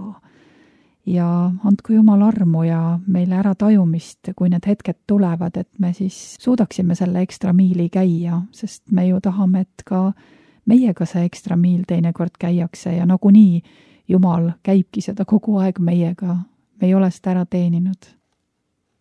Speaker 2: Ja andku Jumal armu ja meile ära tajumist, kui need hetked tulevad, et me siis suudaksime selle ekstra miili käia, sest me ju tahame, et ka meiega see ekstra miil teinekord käiakse ja nagunii Jumal käibki seda kogu aeg meiega. Me ei ole seda ära teeninud.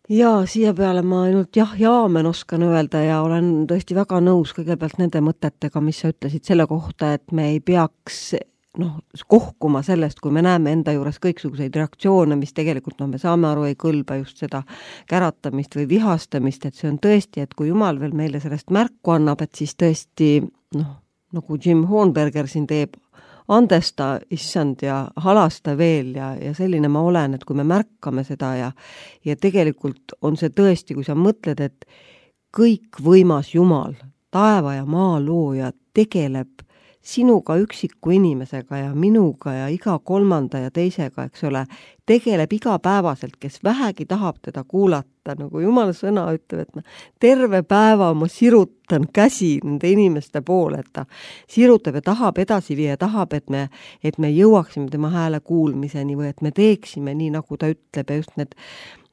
Speaker 3: Ja siia peale ma ainult jah ja aamen oskan öelda ja olen tõesti väga nõus kõigepealt nende mõtetega, mis sa ütlesid selle kohta, et me ei peaks noh, kohkuma sellest, kui me näeme enda juures kõiksuguseid reaktsioone, mis tegelikult, no me saame aru, ei kõlba just seda käratamist või vihastamist, et see on tõesti, et kui Jumal veel meile sellest märku annab, et siis tõesti, noh, nagu Jim Hornberger siin teeb, andesta, issand ja halasta veel ja, ja selline ma olen, et kui me märkame seda ja, ja tegelikult on see tõesti, kui sa mõtled, et kõik võimas Jumal, taeva ja maa looja tegeleb sinuga üksiku inimesega ja minuga ja iga kolmanda ja teisega, eks ole, tegeleb igapäevaselt, kes vähegi tahab teda kuulata, nagu Jumala sõna ütleb, et ma terve päeva ma sirutan käsi nende inimeste poole, et ta sirutab ja tahab edasi viia, tahab, et me, et me jõuaksime tema hääle kuulmiseni või et me teeksime nii, nagu ta ütleb ja just need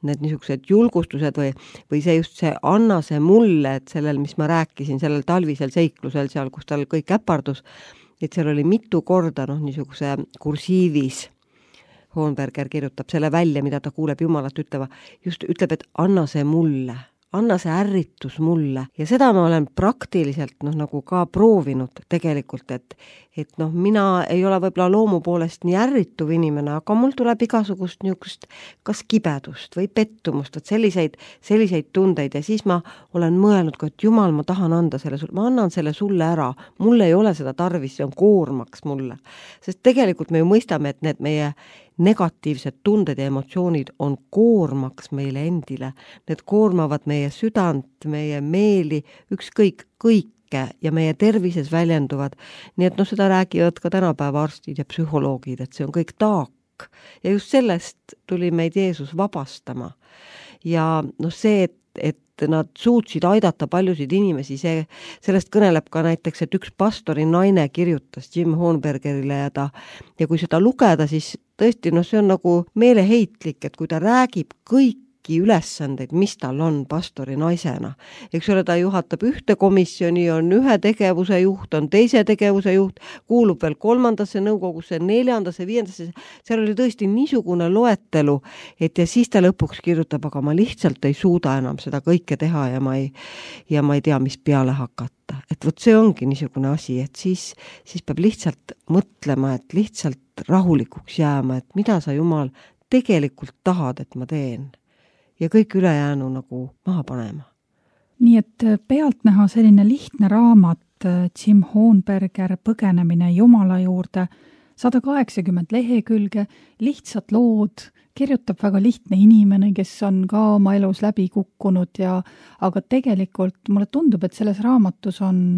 Speaker 3: need niisugused julgustused või, või see just see anna see mulle, et sellel, mis ma rääkisin, sellel talvisel seiklusel seal, kus tal kõik äpardus, et seal oli mitu korda noh, niisuguse kursiivis Hornberger kirjutab selle välja, mida ta kuuleb Jumalat ütleva, just ütleb, et anna see mulle, anna see ärritus mulle ja seda ma olen praktiliselt noh, nagu ka proovinud tegelikult, et et noh, mina ei ole võib-olla loomu poolest nii ärrituv inimene, aga mul tuleb igasugust niisugust kas kibedust või pettumust, et selliseid, selliseid tundeid ja siis ma olen mõelnud ka, et Jumal, ma tahan anda selle sulle, ma annan selle sulle ära, mul ei ole seda tarvis, see on koormaks mulle. Sest tegelikult me ju mõistame, et need meie negatiivsed tunded ja emotsioonid on koormaks meile endile. Need koormavad meie südant, meie meeli, ükskõik kõik ja meie tervises väljenduvad. Nii et noh, seda räägivad ka tänapäeva arstid ja psühholoogid, et see on kõik taak. Ja just sellest tuli meid Jeesus vabastama. Ja noh, see, et, et nad suutsid aidata paljusid inimesi, see, sellest kõneleb ka näiteks, et üks pastori naine kirjutas Jim Hornbergerile ja ta, ja kui seda lugeda, siis tõesti, noh, see on nagu meeleheitlik, et kui ta räägib kõik ülesandeid, mis tal on pastori naisena. Eks ole, ta juhatab ühte komisjoni, on ühe tegevuse juht, on teise tegevuse juht, kuulub veel kolmandasse nõukogusse, neljandasse, viiendasse, seal oli tõesti niisugune loetelu, et ja siis ta lõpuks kirjutab, aga ma lihtsalt ei suuda enam seda kõike teha ja ma ei, ja ma ei tea, mis peale hakata. Et võt see ongi niisugune asi, et siis, siis peab lihtsalt mõtlema, et lihtsalt rahulikuks jääma, et mida sa Jumal tegelikult tahad, et ma teen. Ja kõik ülejäänu nagu maha panema.
Speaker 2: Nii et pealtnäha selline lihtne raamat Jim Hornberger Põgenemine Jumala juurde, sada kaheksakümmend lehekülge, lihtsad lood, kirjutab väga lihtne inimene, kes on ka oma elus läbi kukkunud ja aga tegelikult mulle tundub, et selles raamatus on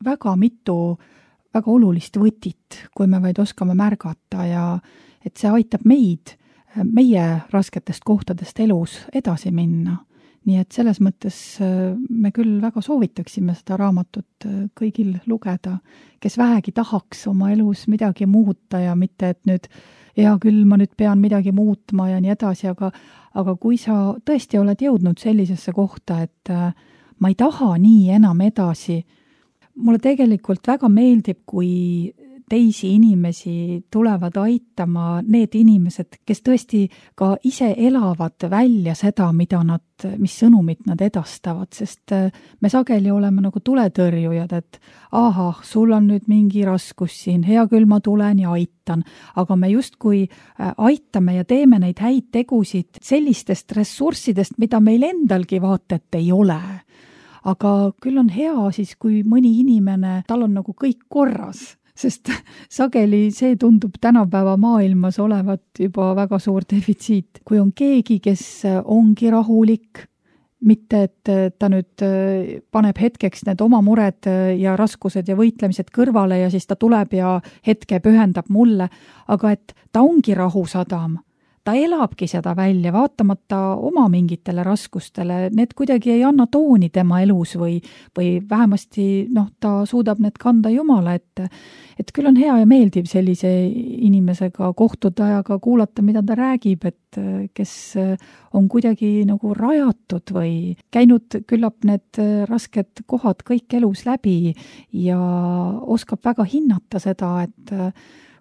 Speaker 2: väga mitu väga olulist võtit, kui me vaid oskame märgata ja et see aitab meid meie rasketest kohtadest elus edasi minna. Nii et selles mõttes me küll väga soovitaksime seda raamatut kõigil lugeda, kes vähegi tahaks oma elus midagi muuta ja mitte, et nüüd hea küll, ma nüüd pean midagi muutma ja nii edasi, aga, aga kui sa tõesti oled jõudnud sellisesse kohta, et ma ei taha nii enam edasi, mulle tegelikult väga meeldib, kui teisi inimesi tulevad aitama need inimesed, kes tõesti ka ise elavad välja seda, mida nad, mis sõnumid nad edastavad, sest me sageli oleme nagu tuletõrjujad, et ahah, sul on nüüd mingi raskus siin, hea küll ma tulen ja aitan, aga me justkui aitame ja teeme neid häid tegusid sellistest ressurssidest, mida meil endalgi vaatet ei ole. Aga küll on hea siis, kui mõni inimene, tal on nagu kõik korras, sest sageli see tundub tänapäeva maailmas olevat juba väga suur defitsiit. Kui on keegi, kes ongi rahulik, mitte et ta nüüd paneb hetkeks need oma mured ja raskused ja võitlemised kõrvale ja siis ta tuleb ja hetke pühendab mulle, aga et ta ongi rahusadam, ta elabki seda välja, vaatamata oma mingitele raskustele, need kuidagi ei anna tooni tema elus või, või vähemasti noh, ta suudab need kanda Jumala ette. Et küll on hea ja meeldiv sellise inimesega kohtuda ja ka kuulata, mida ta räägib, et kes on kuidagi nagu rajatud või käinud küllap need rasked kohad kõik elus läbi ja oskab väga hinnata seda, et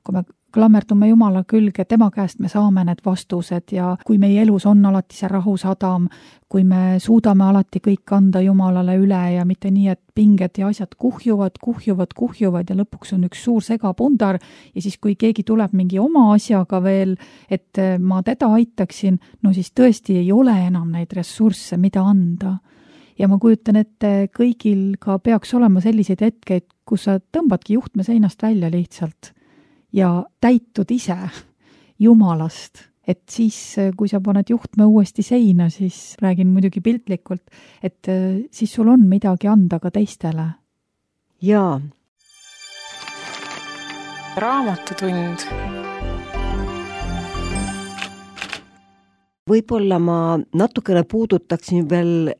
Speaker 2: kui me klammerdume Jumala külge, tema käest me saame need vastused ja kui meie elus on alati see rahusadam, kui me suudame alati kõik anda Jumalale üle ja mitte nii, et pinged ja asjad kuhjuvad, kuhjuvad, kuhjuvad ja lõpuks on üks suur segapundar ja siis, kui keegi tuleb mingi oma asjaga veel, et ma teda aitaksin, no siis tõesti ei ole enam neid ressursse, mida anda. Ja ma kujutan ette, kõigil ka peaks olema selliseid hetkeid, kus sa tõmbadki juhtme seinast välja lihtsalt ja täitud ise Jumalast, et siis, kui sa paned juhtme uuesti seina, siis räägin muidugi piltlikult, et siis sul on midagi anda ka teistele.
Speaker 3: Jaa.
Speaker 4: Raamatutund.
Speaker 3: Võib-olla ma natukene puudutaksin veel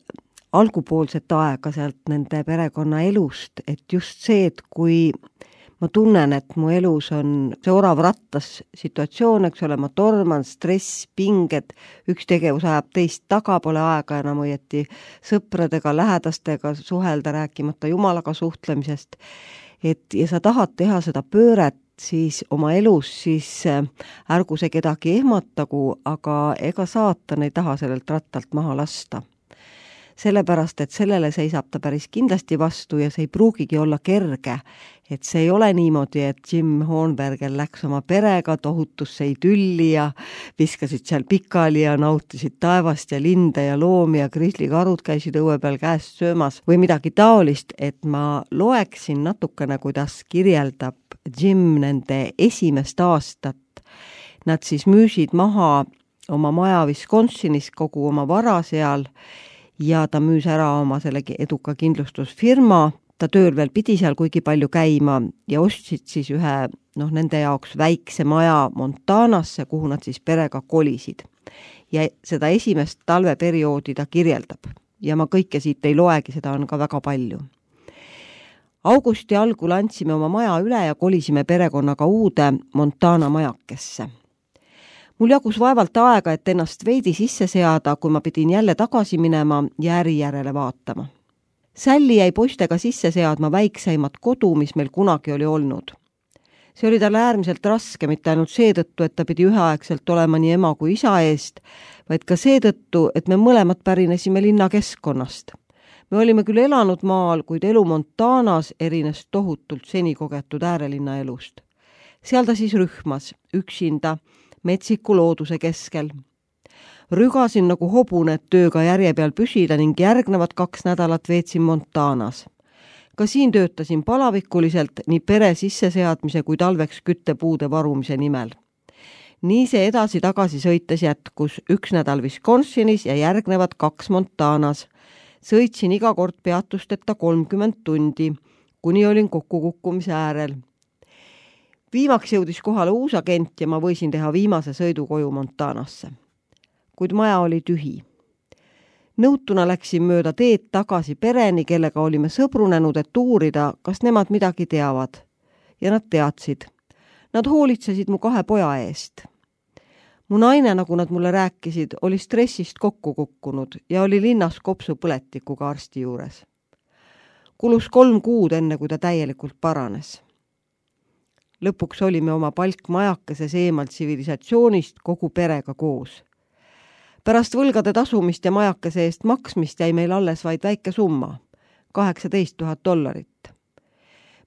Speaker 3: algupoolset aega sealt nende perekonna elust, et just see, et kui ma tunnen, et mu elus on see orav rattas situatsioon, eks ole, ma torman, stress, pinged, üks tegevus ajab teist taga, pole aega enam õieti sõpradega, lähedastega suhelda, rääkimata Jumalaga suhtlemisest. Et, ja sa tahad teha seda pööret siis oma elus, siis ärgu see kedagi ehmatagu, aga ega saatan ei taha sellelt rattalt maha lasta. Sellepärast, et sellele seisab ta päris kindlasti vastu ja see ei pruugigi olla kerge, et see ei ole niimoodi, et Jim Hornberger läks oma perega tohutusse idülli ja viskasid seal pikali ja nautisid taevast ja linde ja loomi ja krislikarud käisid õue peal käest söömas või midagi taolist, et ma loeksin natukene, kuidas kirjeldab Jim nende esimest aastat. Nad siis müüsid maha oma maja Wisconsinis, kogu oma vara seal ja ta müüs ära oma sellegi eduka kindlustusfirma, ta tööl veel pidi seal kuigi palju käima ja ostsid siis ühe, noh, nende jaoks väikse maja Montanasse, kuhu nad siis perega kolisid. Ja seda esimest talveperioodi ta kirjeldab ja ma kõike siit ei loegi, seda on ka väga palju. Augusti algul andsime oma maja üle ja kolisime perekonnaga uude Montana majakesse. Mul jagus vaevalt aega, et ennast veidi sisse seada, kui ma pidin jälle tagasi minema ja äri järele vaatama. Sälli jäi poistega sisse seadma väikseimat kodu, mis meil kunagi oli olnud. See oli talle äärmiselt raske, mitte ainult seetõttu, et ta pidi üheaegselt olema nii ema kui isa eest, vaid ka seetõttu, et me mõlemad pärinesime linna keskkonnast. Me olime küll elanud maal, kuid elu Montanas erines tohutult seni kogetud äärelinna elust. Seal ta siis rühmas, üksinda, metsiku looduse keskel. Rügasin nagu hobune, et tööga järje peal püsida ning järgnevad kaks nädalat veetsin Montanas. Ka siin töötasin palavikuliselt nii pere sisseseadmise kui talveks küttepuude varumise nimel. Nii see edasi-tagasi sõites jätkus üks nädal Wisconsinis ja järgnevad kaks Montanas. Sõitsin iga kord peatusteta kolmkümmend tundi, kuni olin kokkukukkumise äärel. Viimaks jõudis kohale uus agent ja ma võisin teha viimase sõidu koju Montanasse. Kuid maja oli tühi. Nõutuna läksin mööda teed tagasi pereni, kellega olime sõbrunenud, et uurida, kas nemad midagi teavad. Ja nad teadsid. Nad hoolitsesid mu kahe poja eest. Mu naine, nagu nad mulle rääkisid, oli stressist kokku kukkunud ja oli linnas kopsupõletikuga arsti juures. Kulus kolm kuud enne, kui ta täielikult paranes. Lõpuks olime oma palkmajakeses eemalt tsivilisatsioonist kogu perega koos. Pärast võlgade tasumist ja majakese eest maksmist jäi meil alles vaid väike summa, kaheksateist tuhat dollarit.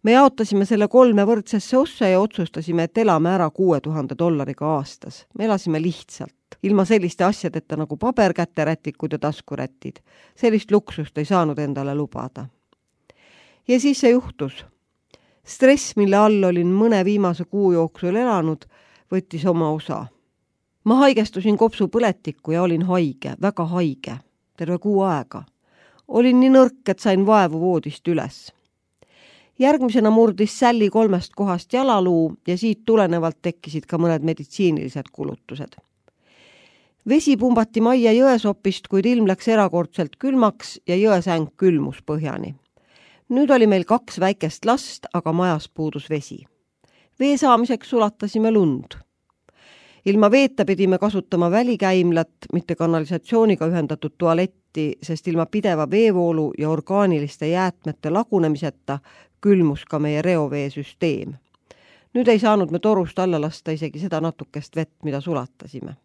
Speaker 3: Me jaotasime selle kolme võrdsesse ossa ja otsustasime, et elame ära kuue tuhande dollariga aastas. Me elasime lihtsalt, ilma selliste asjadeta nagu paberkäterätikud ja taskurätid. Sellist luksust ei saanud endale lubada. Ja siis see juhtus. Stress, mille all olin mõne viimase kuu jooksul elanud, võttis oma osa. Ma haigestusin kopsupõletikku ja olin haige, väga haige, terve kuu aega. Olin nii nõrk, et sain vaevu voodist üles. Järgmisena murdis Sälli kolmest kohast jalaluu ja siit tulenevalt tekkisid ka mõned meditsiinilised kulutused. Vesi pumbati majja jõesopist, kuid ilm läks erakordselt külmaks ja jõesäng külmus põhjani. Nüüd oli meil kaks väikest last, aga majas puudus vesi. Vee saamiseks sulatasime lund. Ilma veeta pidime kasutama välikäimlat, mitte kanalisatsiooniga ühendatud tualetti, sest ilma pideva veevoolu ja orgaaniliste jäätmete lagunemiseta külmus ka meie reoveesüsteem. Nüüd ei saanud me torust alla lasta isegi seda natukest vett, mida sulatasime.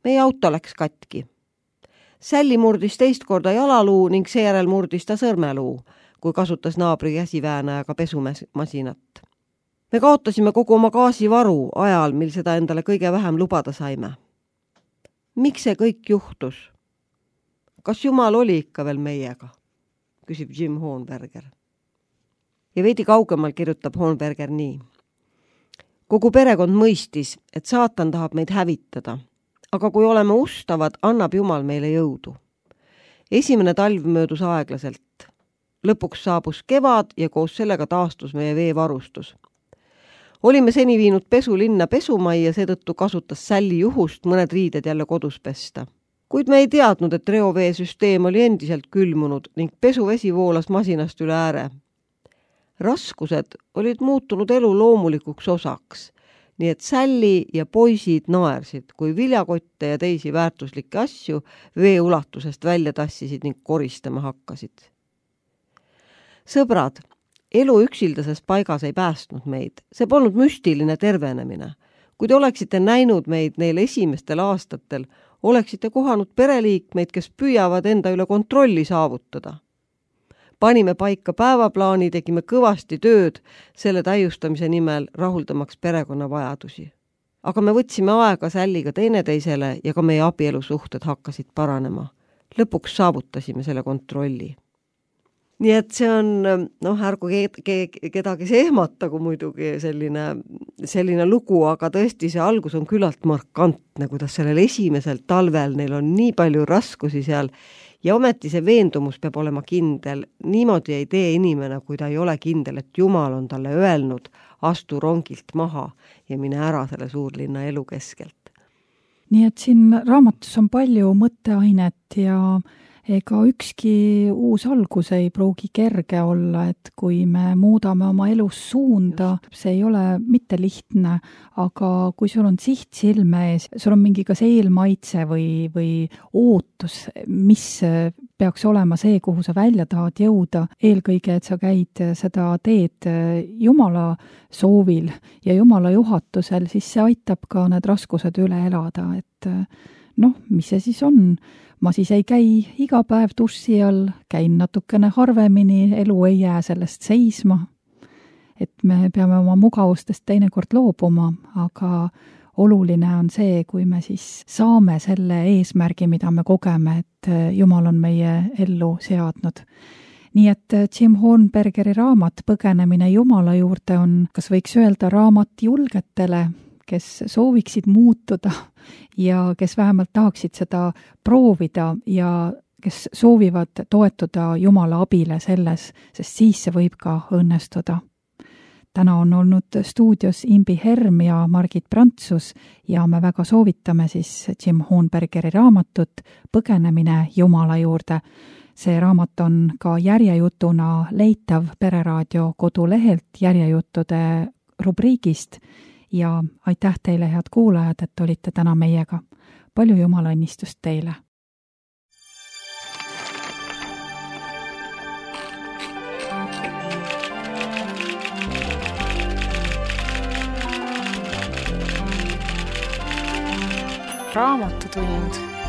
Speaker 3: Meie auto läks katki. Sälli murdis teist korda jalaluu ning seejärel murdis ta sõrmeluu, kui kasutas naabri käsiväänajaga pesumasinat. Me kaotasime kogu oma gaasivaru ajal, mil seda endale kõige vähem lubada saime. Miks see kõik juhtus? Kas Jumal oli ikka veel meiega? Küsib Jim Hohenberger. Ja veidi kaugemal kirjutab Hohenberger nii. Kogu perekond mõistis, et saatan tahab meid hävitada, aga kui oleme ustavad, annab Jumal meile jõudu. Esimene talv möödus aeglaselt. Lõpuks saabus kevad ja koos sellega taastus meie veevarustus. Olime seni viinud pesu linna pesumajja, seetõttu kasutas Sälli juhust mõned riided jälle kodus pesta. Kuid me ei teadnud, et reoveesüsteem oli endiselt külmunud ning pesuvesi voolas masinast üle ääre. Raskused olid muutunud elu loomulikuks osaks, nii et Sälli ja poisid naersid, kui viljakotte ja teisi väärtuslikke asju vee ulatusest välja tassisid ning koristama hakkasid. Sõbrad, elu üksildases paigas ei päästnud meid. See polnud müstiline tervenemine. Kui te oleksite näinud meid neil esimestel aastatel, oleksite kohanud pereliikmeid, kes püüavad enda üle kontrolli saavutada. Panime paika päevaplaani, tegime kõvasti tööd selle täiustamise nimel, rahuldamaks perekonna vajadusi. Aga me võtsime aega Sälliga teineteisele ja ka meie abielusuhted hakkasid paranema. Lõpuks saavutasime selle kontrolli. Nii et see on, noh, ärgu kedagi see ehmatagu muidugi selline, selline lugu, aga tõesti see algus on küllalt markantne, kuidas sellel esimesel talvel neil on nii palju raskusi seal ja ometi see veendumus peab olema kindel. Niimoodi ei tee inimene, kui ta ei ole kindel, et Jumal on talle öelnud, astu rongilt maha ja mine ära selle suurlinna elu keskelt.
Speaker 2: Nii et siin raamatus on palju mõtteainet ja ega ükski uus algus ei pruugi kerge olla, et kui me muudame oma elus suunda, see ei ole mitte lihtne, aga kui sul on siht silme ees, sul on mingi kas eelmaitse või, või ootus, mis peaks olema see, kuhu sa välja tahad jõuda, eelkõige, et sa käid seda teed Jumala soovil ja Jumala juhatusel, siis see aitab ka need raskused üle elada, et noh, mis see siis on? Ma siis ei käi iga päev tussi all, käin natukene harvemini, elu ei jää sellest seisma. Et me peame oma mugavustest teinekord loobuma, aga oluline on see, kui me siis saame selle eesmärgi, mida me kogeme, et Jumal on meie ellu seadnud. Nii et Jim Hohenbergeri raamat Põgenemine Jumala juurde on, kas võiks öelda, raamat julgetele, kes sooviksid muutuda ja kes vähemalt tahaksid seda proovida ja kes soovivad toetuda Jumala abile selles, sest siis see võib ka õnnestuda. Täna on olnud stuudios Imbi Herm ja Margit Prantsus ja me väga soovitame siis Jim Hohenbergeri raamatut Põgenemine Jumala juurde. See raamat on ka järjejutuna leitav Pereraadio kodulehelt järjejuttude rubriigist ja aitäh teile, head kuulajad, et olite täna meiega. Palju Jumala õnnistust teile!
Speaker 4: Raamatutund.